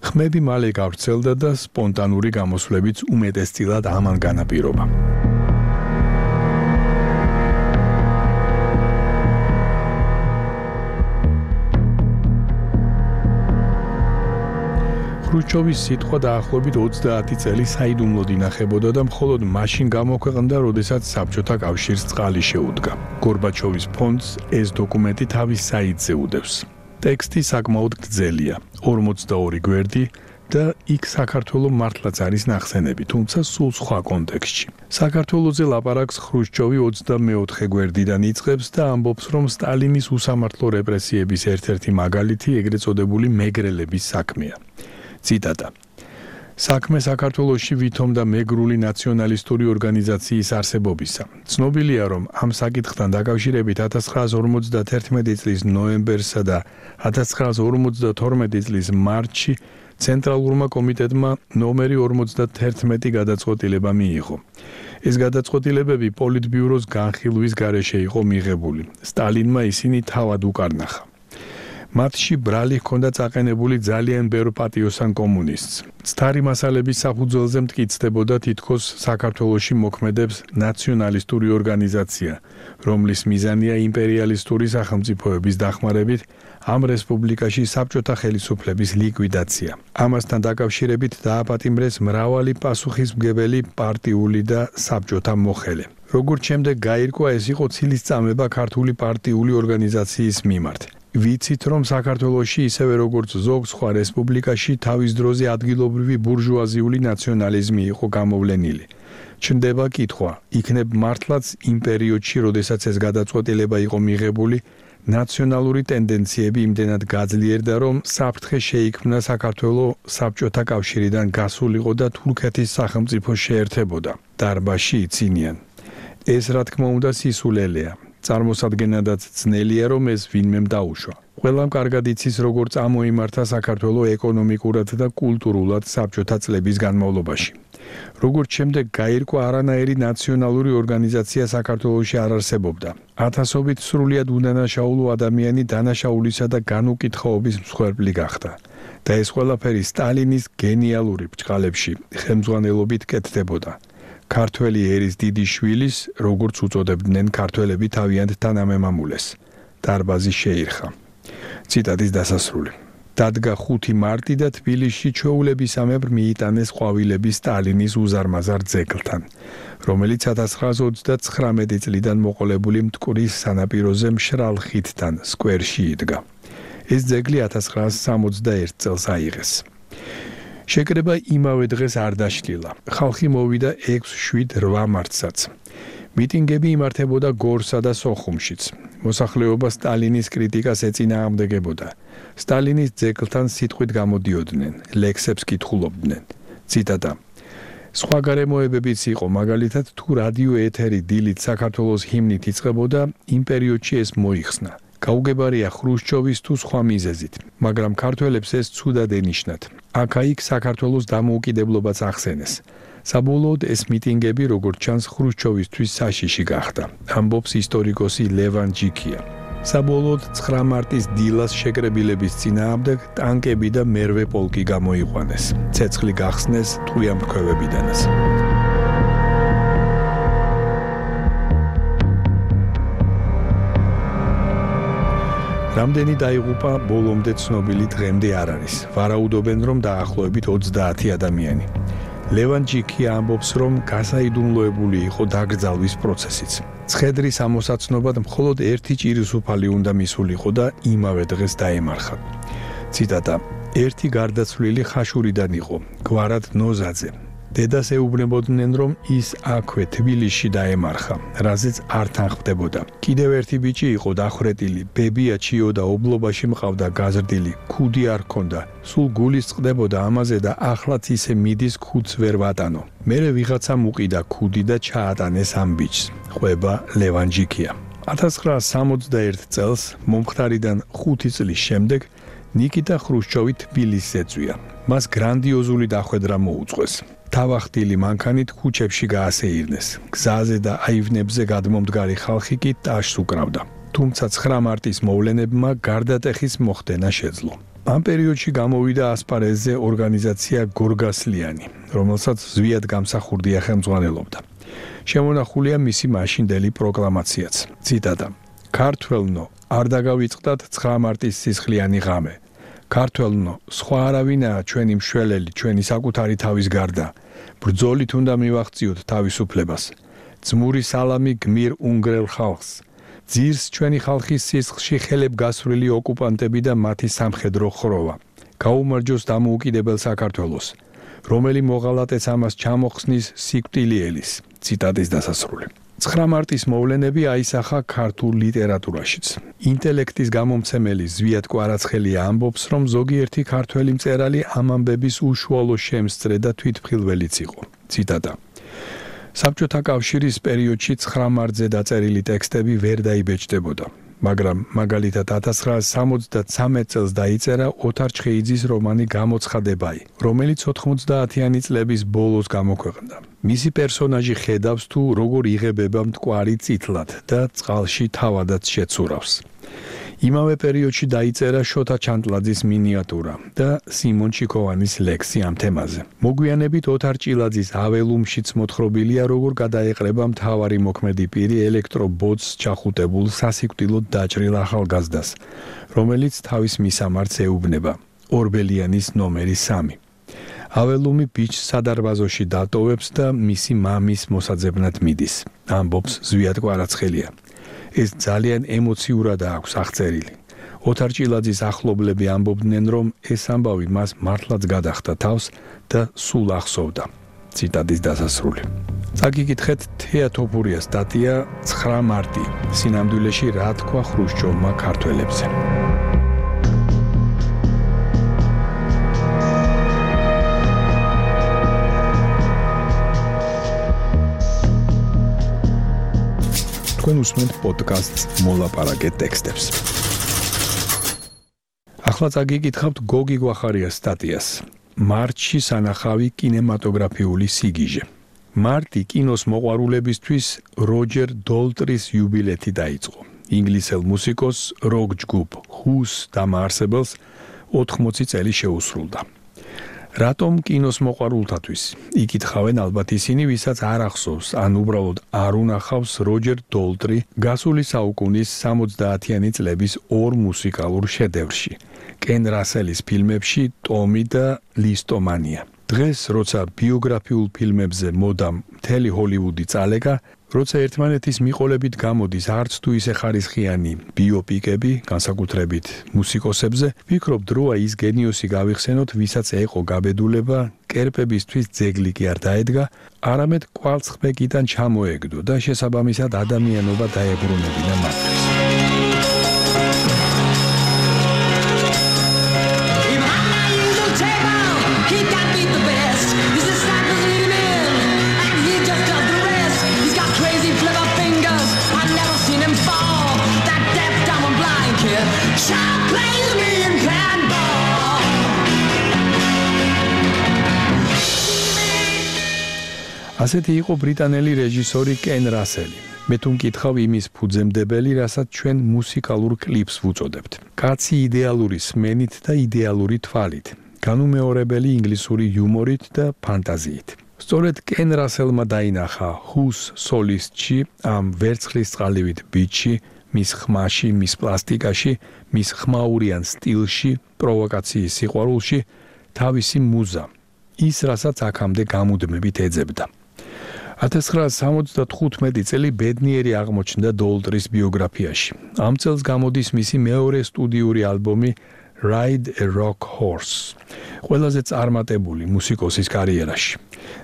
ხმები მალე გავრცელდა და სპონტანური გამოსვლებიც უმეტესწილად ამან განაპირობა. ხრუშჩოვის სიტყვა დაახლოებით ოცდაათი წელი საიდუმლოდ ინახებოდა და მხოლოდ მაშინ გამოქვეყნდა, როდესაც საბჭოთა კავშირს წყალი შეუდგა. გორბაჩოვის ფონდს ეს დოკუმენტი თავის საიტზე უდევს. ტექსტი საკმაოდ გრძელია, ორმოცდაორი გვერდი და იქ საქართველოს მართლაც არის ნახსენები, თუმცა სულ სხვა კონტექსტში. საქართველოზე ლაპარაკს ხრუშჩოვი ოცდამეოთხე გვერდიდან იწყებს და ამბობს, რომ სტალინის უსამართლო რეპრესიების ერთ-ერთი მაგალითი ეგრეთ წოდებული მეგრელების საქმეა. ციტატა. საქმე საქართველოში ვითომდა მეგრული ნაციონალისტური ორგანიზაციის არსებობისა. ცნობილია, რომ ამ საკითხთან დაკავშირებით ათას ცხრაას ორმოცდათერთმეტი წლის ნოემბერსა და ათას ცხრაას ორმოცდათორმეტი წლის მარტში ცენტრალურმა კომიტეტმა ნომერი ორმოცდათერთმეტი გადაწყვეტილება მიიღო. ეს გადაწყვეტილებები პოლიტბიუროს განხილვის გარეშე იყო მიღებული. სტალინმა ისინი თავად უკარნახა. მათში ბრალი ჰქონდა წაყენებული ძალიან ბევრ პატიოსან კომუნისტს. ცთარი მასალების საფუძველზე მტკიცდებოდა თითქოს საქართველოში მოქმედებს ნაციონალისტური ორგანიზაცია, რომლის მიზანია იმპერიალისტური სახელმწიფოების დახმარებით ამ რესპუბლიკაში საბჭოთა ხელისუფლების ლიკვიდაცია. ამასთან დაკავშირებით დააპატიმრეს მრავალი პასუხისმგებელი პარტიული და საბჭოთა მოხელე. როგორც შემდეგ გაირკვა, ეს იყო ცილისწამება ქართული პარტიული ორგანიზაციის მიმართ. ვიცით, რომ საქართველოში ისევე როგორც ზოგ სხვა რესპუბლიკაში თავის დროზე ადგილობრივი ბურჟუაზიული ნაციონალიზმი იყო გამოვლენილი. ჩნდება კითხვა, იქნებ მართლაც იმ პერიოდში, როდესაც ეს გადაწყვეტილება იყო მიღებული, ნაციონალური ტენდენციები იმდენად გაძლიერდა, რომ საფრთხე შეიქმნა საქართველოს საბჭოთა კავშირიდან გასულიყო და თურქეთის სახელმწიფო შეერთებოდა. დარბაზში იცინიან. ეს რა თქმა უნდა სისულელეა. წარმოსადგენადაც ძნელია, რომ ეს ვინმემ დაუშვა. ყველამ კარგად იცის, როგორც ამოიმართა საქართველოს ეკონომიკურად და კულტურულად საბჭოთა წლების განმავლობაში. როგორც შემდეგ გაირკვა, არანაირი ნაციონალური ორგანიზაცია საქართველოში არ არსებობდა. ათასობით სრულიად უდანაშაულო ადამიანი დანაშაულისა და განუკითხაობის მსხვერპლი გახდა. და ეს ყველაფერი სტალინის გენიალური ბრჭყალებში ხელმძღვანელობით კეთდებოდა. ქართველი ერის დიდი შვილის, როგორც უწოდებდნენ ქართველები თავიანთ თანამემამულეს, დარბაზი შეირხა. ციტატის დასასრული. დადგა ხუთი მარტი და თბილისში ჩვეულებისამებრ მიიტანეს ყვავილები სტალინის უზარმაზარ ძეგლთან, რომელიც ათას ცხრაას ოცდაცხრამეტი წლიდან მოყოლებული მტკვრის სანაპიროზე მშრალ ხიდთან სკვერში იდგა. ეს ძეგლი ათას ცხრაას სამოცდაერთ წელს აიღეს. შეკრება იმავე დღეს არ დაშლილა. ხალხი მოვიდა ექვს შვიდ რვა მარტსაც. მიტინგები იმართებოდა გორსა და სოხუმშიც. მოსახლეობა სტალინის კრიტიკას ეწინააღმდეგებოდა. სტალინის ძეგლთან სიტყვით გამოდიოდნენ, ლექსებს კითხულობდნენ. ციტატა. სხვა გარემოებებიც იყო, მაგალითად თუ რადიო ეთერი დილით საქართველოს ჰიმნით იწყებოდა, იმ პერიოდში ეს მოიხსნა. გაუგებარია ხრუშჩოვის თუ სხვა მიზეზით, მაგრამ ქართველებს ეს ცუდად ენიშნათ. აქა-იქ საქართველოს დამოუკიდებლობაც ახსენეს. საბოლოოდ ეს მიტინგები, როგორც ჩანს, ხრუშჩოვისთვის საშიში გახდა. ამბობს ისტორიკოსი ლევან ჯიქია. საბოლოოდ ცხრა მარტის დილას შეკრებილების წინააღმდეგ ტანკები და მერვე პოლკი გამოიყვანეს. ცეცხლი გახსნეს ტყვიამფრქვევებიდანაც. რამდენი დაიღუპა ბოლომდე ცნობილი დღემდე არ არის. ვარაუდობენ, რომ დაახლოებით ოცდაათი ადამიანი. ლევან ჯიქია ამბობს, რომ გასაიდუმლოებული იყო დაკრძალვის პროცესიც. ცხედრის ამოსაცნობად მხოლოდ ერთი ჭირისუფალი უნდა მისულიყო და იმავე დღეს დაემარხა. ციტატა. ერთი გარდაცვლილი ხაშურიდან იყო, გვარად ნოზაძე. დედას ეუბნებოდნენ, რომ ის აქვე თბილისში დაემარხა, რაზეც არ თანხმდებოდა. კიდევ ერთი ბიჭი იყო დახვრეტილი, ბებია ჩიოდა ობლობაში მყავდა გაზრდილი, ქუდი არ ჰქონდა. სულ გულის წყდებოდა ამაზე და ახლაც ისე მიდის ქუდს ვერ ვატანო. მერე ვიღაცამ უყიდა ქუდი და ჩაატანეს ამ ბიჭს. ყვება ლევან ჯიქია. ათას ცხრაას სამოცდაერთ წელს, მომხდარიდან ხუთი წლის შემდეგ, ნიკიტა ხრუშჩოვი თბილისს ეწვია. მას გრანდიოზული დახვედრა მოუწყვეს. თავახტილი მანქანით ქუჩებში გაასეირნეს. გზაზე და აივნებზე გადმომდგარი ხალხი კი ტაშს უკრავდა. თუმცა ცხრა მარტის მოვლენებმა გარდატეხის მოხდენა შეძლო. ამ პერიოდში გამოვიდა ასპარეზზე ორგანიზაცია გორგასლიანი, რომელსაც ზვიად გამსახურდია ხელმძღვანელობდა. შემონახულია მისი მაშინდელი პროკლამაციაც. ციტატა. ქართველნო, არ დაგავიწყდათ ცხრა მარტის სისხლიანი ღამე. ქართველნო, სხვა არავინაა ჩვენი მშველელი, ჩვენი საკუთარი თავის გარდა. ბრძოლით უნდა მივაღწიოთ თავისუფლებას. ძმური სალამი გმირ უნგრელ ხალხს. ძირს ჩვენი ხალხის სისხლში ხელებ გასვლილი ოკუპანტები და მათი სამხედრო ხროვა. გაუმარჯოს დამოუკიდებელ საქართველოს, რომელი მოღალატეს ამას ჩამოხსნის სიკვდილიელის. ციტატის დასასრული. ცხრა მარტის მოვლენები აისახა ქართულ ლიტერატურაშიც. ინტელექტის გამომცემელი ზვიად კვარაცხელია ამბობს, რომ ზოგიერთი ქართველი მწერალი ამ ამბების უშუალო შემსწრე და თვითმხილველიც იყო. ციტატა. საბჭოთა კავშირის პერიოდში ცხრა მარტზე დაწერილი ტექსტები ვერ დაიბეჭდებოდა, მაგრამ მაგალითად ათას ცხრაას სამოცდათრამეტ წელს დაიწერა ოთარ ჩხეიძის რომანი გამოცხადებაი, რომელიც ოთხმოცდაათიანი წლების ბოლოს გამოქვეყნდა. მისი პერსონაჟი ხედავს თუ როგორ იღებება მტკვარი წითლად და წყალში თავადაც შეცურავს. იმავე პერიოდში დაიწერა შოთა ჩანტლაძის მინიატურა და სიმონ ჩიქოვანის ლექსი ამ თემაზე. მოგვიანებით ოთარ ჭილაძის აველუმშიც მოთხრობილია, როგორ გადაეყრება მთავარი მოქმედი პირი ელექტრობოტს ჩახუტებულ სასიკვდილოდ დაჭრილ ახალგაზრდას, რომელიც თავის მისამართს ეუბნება. ორბელიანის ნომერი სამი. აველუმი ბიჭს სადარბაზოში დატოვებს და მისი მამის მოსაძებნად მიდის. ამბობს ზვიად კვარაცხელია. ეს ძალიან ემოციურად აქვს აღწერილი. ოთარ ჭილაძის ახლობლები ამბობდნენ, რომ ეს ამბავი მას მართლაც გადახდა თავს და სულ ახსოვდა. ციტატის დასასრული. წაგიკითხეთ თეა თოფურიას სტატია ცხრა მარტი. სინამდვილეში რა თქვა ხრუშჩოვმა ქართველებზე. თქვენ უსმენთ პოდკასტს მოლაპარაკე ტექსტებს. ახლა წაგიკითხავთ გოგი გვახარიას სტატიას. მარტში სანახავი კინემატოგრაფიული სიგიჟე. მარტი კინოს მოყვარულებისთვის როჯერ დოლტრის იუბილეთი დაიწყო. ინგლისელ მუსიკოს როკ ჯგუფ ჰუს დამაარსებელს ოთხმოცი წელი შეუსრულდა. რატომ კინოს მოყვარულთათვის? იკითხავენ ალბათ ისინი, ვისაც არ ახსოვს, ან უბრალოდ არ უნახავს როჯერ დოლტრი გასული საუკუნის სამოცდაათიანი წლების ორ მუსიკალურ შედევრში, კენ რასელის ფილმებში ტომი და ლისტომანია. დღეს, როცა ბიოგრაფიულ ფილმებზე მოდამ მთელი ჰოლივუდი წალეკა, როცა ერთმანეთის მიყოლებით გამოდის არც თუ ისე ხარისხიანი ბიოპიკები, განსაკუთრებით მუსიკოსებზე, ვფიქრობ, დროა ის გენიოსი გავიხსენოთ, ვისაც ეყო გაბედულება, კერპებისთვის ძეგლი კი არ დაედგა, არამედ კვალცხბეკიდან ჩამოეგდო და შესაბამისად ადამიანობა დაებრუნებინა მათთვის. ასეთი იყო ბრიტანელი რეჟისორი კენ რასელი. მე თუ მკითხავ იმის ფუძემდებელი, რასაც ჩვენ მუსიკალურ კლიპს ვუწოდებთ. კაცი იდეალური სმენით და იდეალური თვალით, განუმეორებელი ინგლისური იუმორით და ფანტაზიით. სწორედ კენ რასელმა დაინახა ჰუს სოლისტში, ამ ვერცხლისწყალივით ბიჭში, მის ხმაში, მის პლასტიკაში, მის ხმაურიან სტილში, პროვოკაციის სიყვარულში თავისი მუზა, ის რასაც აქამდე გამუდმებით ეძებდა. ათას ცხრაასი სამოცდათხუთმეტი წელი ბედნიერი აღმოჩნდა დოლტრის ბიოგრაფიაში. ამ წელს გამოდის მისი მეორე სტუდიური ალბომი Ride a Rock Horse, ყველაზე წარმატებული მუსიკოსის კარიერაში.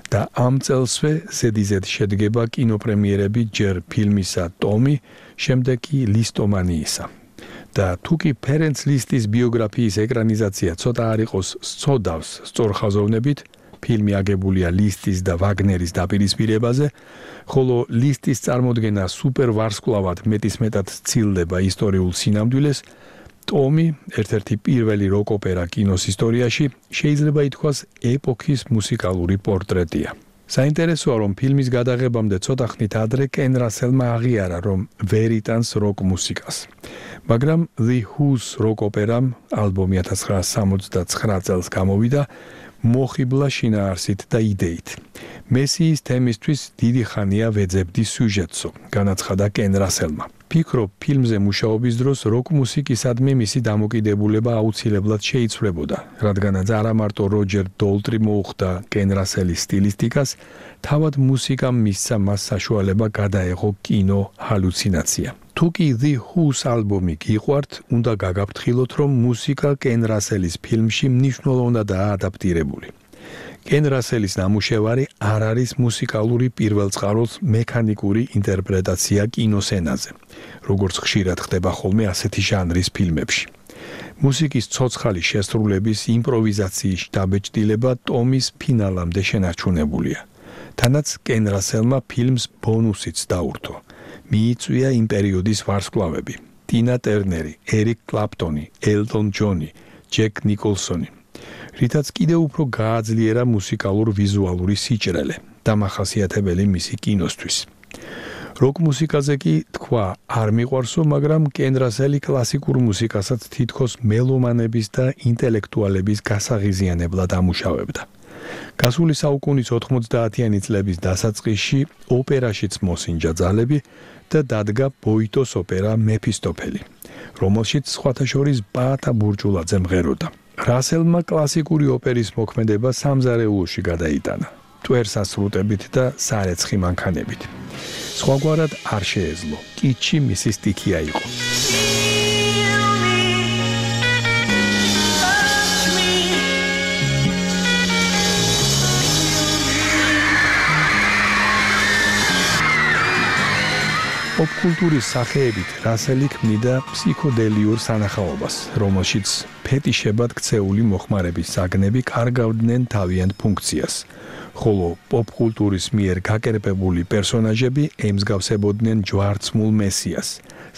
და ამ წელსვე ზედიზედ შედგება კინოპრემიერები ჯერ ფილმისა ტომი, შემდეგ კი ლისტომანიისა. და თუკი ფერენც ლისტის ბიოგრაფიის ეკრანიზაცია ცოტა არ იყოს სწოდავს სწორხაზოვნებით, ფილმი აგებულია ლისტის და ვაგნერის დაპირისპირებაზე, ხოლო ლისტის წარმოდგენა სუპერ ვარსკვლავად მეტისმეტად სცილდება ისტორიულ სინამდვილეს, ტომი, ერთ-ერთი პირველი როკ ოპერა კინოს ისტორიაში, შეიძლება ითქვას ეპოქის მუსიკალური პორტრეტია. საინტერესოა, რომ ფილმის გადაღებამდე ცოტა ხნით ადრე კენ რასელმა აღიარა, რომ ვერ იტანს როკ მუსიკას. მაგრამ The Who's როკ ოპერამ, ალბომი ათას ცხრაასი სამოცდაცხრა წელს გამოვიდა, მოხიბლა შინაარსით და იდეით. მესიის თემისთვის დიდი ხანია ვეძებდი სიუჟეტსო, განაცხადა კენ რასელმა. ფიქრობ, ფილმზე მუშაობის დროს როკ მუსიკისადმი მისი დამოკიდებულება აუცილებლად შეიცვლებოდა, რადგანაც არა მარტო როჯერ დოლტრი მოუხდა კენ რასელის სტილისტიკას, თავად მუსიკამ მისცა მას საშუალება გადაეღო კინო ჰალუცინაცია. თუკი The Who's ალბომი გიყვართ, უნდა გაგაფრთხილოთ, რომ მუსიკა კენ რასელის ფილმში მნიშვნელოვნადაა ადაპტირებული. კენ რასელის ნამუშევარი არ არის მუსიკალური პირველწყაროს მექანიკური ინტერპრეტაცია კინოსცენაზე, როგორც ხშირად ხდება ხოლმე ასეთი ჟანრის ფილმებში. მუსიკის ცოცხალი შესრულების იმპროვიზაციის დაბეჭდილება ტომის ფინალამდე შენარჩუნებულია. თანაც კენ რასელმა ფილმს ბონუსიც დაურთო. მიიწვია იმ პერიოდის ვარსკვლავები: ტინა ტერნერი, ერიკ კლაპტონი, ელტონ ჯონი, ჯეკ ნიკოლსონი. რითაც კიდევ უფრო გააძლიერა მუსიკალურ ვიზუალური სიჭრელე, დამახასიათებელი მისი კინოსთვის. როკ მუსიკაზე კი თქვა არ მიყვარსო, მაგრამ კენდრასელი კლასიკურ მუსიკასაც თითქოს მელომანების და ინტელექტუალების გასაღიზიანებლად ამუშავებდა. გასული საუკუნის ოთხმოცდაათიანი წლების დასაწყისში ოპერაშიც მოსინჯა ძალები და დადგა ბოიტოს ოპერა მეფისტოფელი, რომელშიც სხვათა შორის ბაატა ბურჭულაძე მღეროდა. რასელმა კლასიკური ოპერის მოქმედება სამზარეულოში გადაიტანა, ტვერსასრუტებით და სარეცხი მანქანებით. სხვაგვარად არ შეეძლო, კიჩი მისი სტიქია იყო. პოპკულტურის სახეებით რასელი ქმნიდა ფსიქოდელიურ სანახაობას, რომელშიც ფეტიშებად ქცეული მოხმარების საგნები კარგავდნენ თავიანთ ფუნქციას, ხოლო პოპკულტურის მიერ გაკერპებული პერსონაჟები ემსგავსებოდნენ ჯვარცმულ მესიას,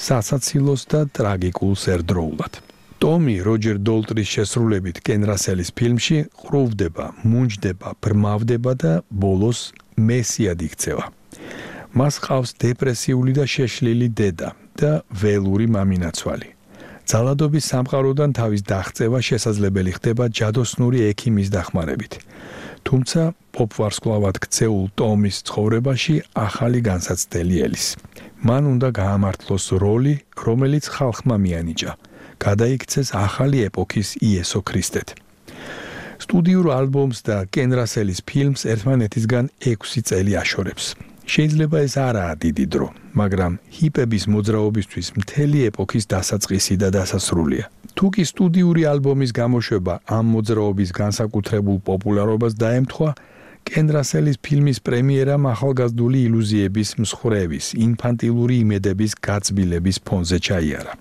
სასაცილოს და ტრაგიკულს ერთდროულად. ტომი როჯერ დოლტრის შესრულებით კენ რასელის ფილმში ყრუვდება, მუნჯდება, ბრმავდება და ბოლოს მესიად იქცევა. მას ყავს დეპრესიული და შეშლილი დედა და ველური მამინაცვალი. ძალადობის სამყაროდან თავის დაღწევა შესაძლებელი ხდება ჯადოსნური ექიმის დახმარებით. თუმცა პოპვარსკვლავად ქცეულ ტომის ცხოვრებაში ახალი განსაცდელი ელის. მან უნდა გაამართლოს როლი, რომელიც ხალხმა მიანიჭა. გადაიქცეს ახალი ეპოქის იესო ქრისტედ. სტუდიურ ალბომს და კენ რასელის ფილმს ერთმანეთისგან ექვსი წელი აშორებს. შეიძლება ეს არაა დიდი დრო, მაგრამ ჰიპების მოძრაობისთვის მთელი ეპოქის დასაწყისი და დასასრულია. თუ კი სტუდიური ალბომის გამოშვება ამ მოძრაობის განსაკუთრებულ პოპულარობას დაემთხვა, კენ რასელის ფილმის პრემიერამ ახალგაზრდული ილუზიების მსხვრევის, ინფანტილური იმედების გაწბილების ფონზე ჩაიარა.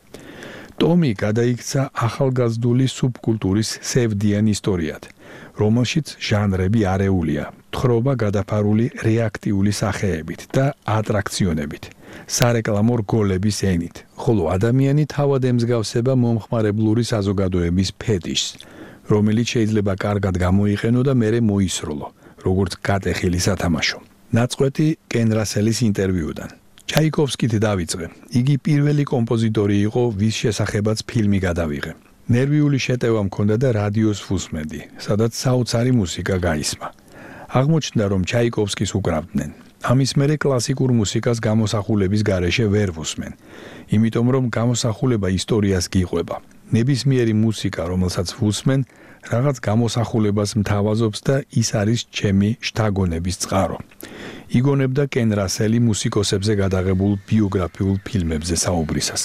ტომი გადაიქცა ახალგაზრდული სუბკულტურის სევდიან ისტორიად, რომელშიც ჟანრები არეულია, თხრობა გადაფარული რეაქტიული სახეებით და ატრაქციონებით, სარეკლამო რგოლების ენით, ხოლო ადამიანი თავად ემსგავსება მომხმარებლური საზოგადოების ფეტიშს, რომელიც შეიძლება კარგად გამოიყენო და მერე მოისროლო, როგორც გატეხილი სათამაშო. ნაწყვეტი კენ რასელის ინტერვიუდან. ჩაიკოვსკით დავიწყე. იგი პირველი კომპოზიტორი იყო, ვის შესახებაც ფილმი გადავიღე. ნერვიული შეტევა მქონდა და რადიოს ვუსმენდი, სადაც საოცარი მუსიკა გაისმა. აღმოჩნდა, რომ ჩაიკოვსკის უკრავდნენ. ამის მერე კლასიკურ მუსიკას გამოსახულების გარეშე ვერ ვუსმენ, იმიტომ რომ გამოსახულება ისტორიას გიყვება. ნებისმიერი მუსიკა, რომელსაც ვუსმენ, რაღაც გამოსახულებას მთავაზობს და ის არის ჩემი შთაგონების წყარო. იგონებდა კენ რასელი მუსიკოსებზე გადაღებულ ბიოგრაფიულ ფილმებზე საუბრისას.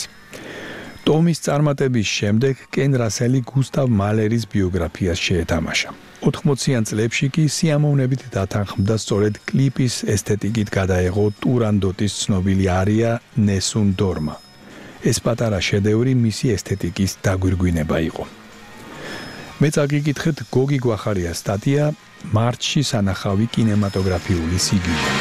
ტომის წარმატების შემდეგ კენ რასელი გუსტავ მალერის ბიოგრაფიას შეეთამაშა. ოთხმოციან წლებში კი სიამოვნებით დათანხმდა სწორედ კლიპის ესთეტიკით გადაეღო ტურანდოტის ცნობილი არია ნესუნ დორმა. ეს პატარა შედევრი მისი ესთეტიკის დაგვირგვინება იყო. მე წაგიკითხეთ გოგი გვახარიას სტატია მარტში სანახავი კინემატოგრაფიული სიგიჟე.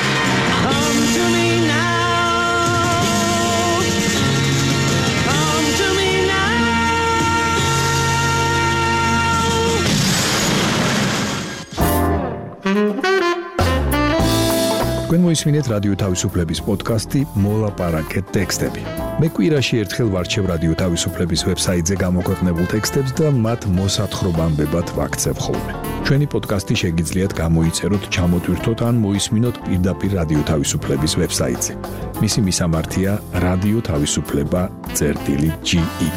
თქვენ მოისმინეთ რადიო თავისუფლების პოდკასტი მოლაპარაკეთ ტექსტები. მე კვირაში ერთხელ ვარჩევ რადიო თავისუფლების ვებსაიტზე გამოქვეყნებულ ტექსტებს და მათ მოსათხრობამდებად ვაქცევ ხოლმე. ჩვენი პოდკასტი შეგიძლიათ გამოიწეროთ, ჩამოტვირთოთ ან მოისმინოთ პირდაპირ რადიო თავისუფლების ვებსაიტზე. მისი მისამართია რადიო თავისუფლება წერტილი ჯი ი.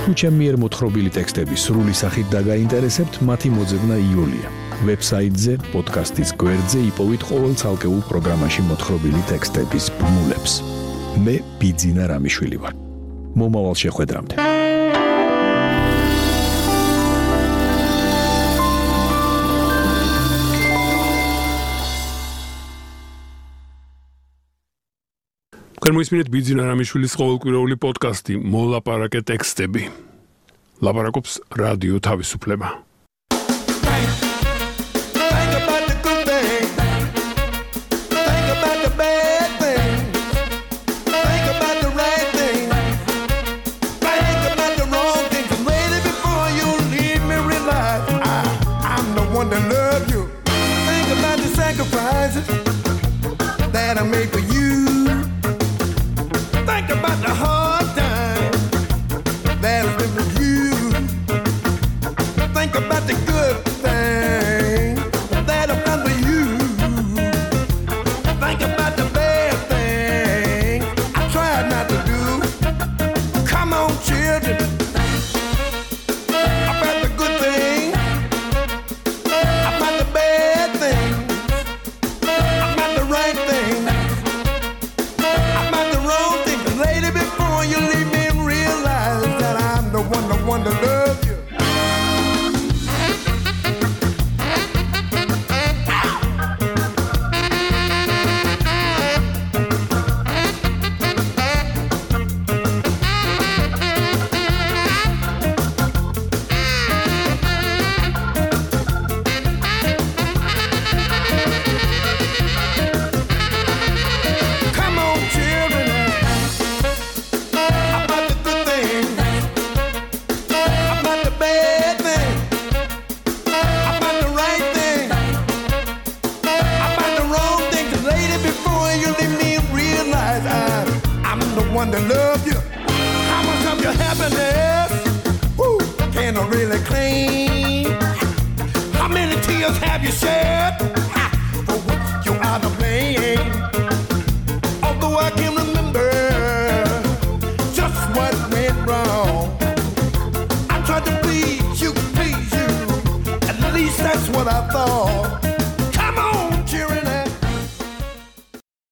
თუ ჩემი მიერ მოთხრობილი ტექსტები სრული სახით დაგაინტერესებთ, მათი მოძებნა იოლია. ვებსაიტზე, პოდკასტის გვერდზე იპოვით ყოველ ცალკეულ პროგრამაში მოთხრობილი ტექსტების ბმულებს. მე ბიძინა რამიშვილი ვარ. მომავალ შეხვედრამდე. თქვენ მოისმინეთ ბიძინა რამიშვილის ყოველკვირეული პოდკასტი მოლაპარაკე ტექსტები. ლაპარაკობს რადიო თავისუფლება. that I made for you. Think about the hard time that has been with you. Think about the good thing that I've done for you. Think about the bad thing I tried not to do. Come on, children. About the good thing, about the bad thing, about the right thing, about the wrong thing. Lady, before you leave me and realize that I'm the one, the one to love you. Come on, children, about the good thing, about the bad thing, about the right thing, about the wrong thing. 'Cause lady, before you leave me and realize I, I'm the one that love you. How much of your happiness, woo, can I really claim? How many tears have you shed?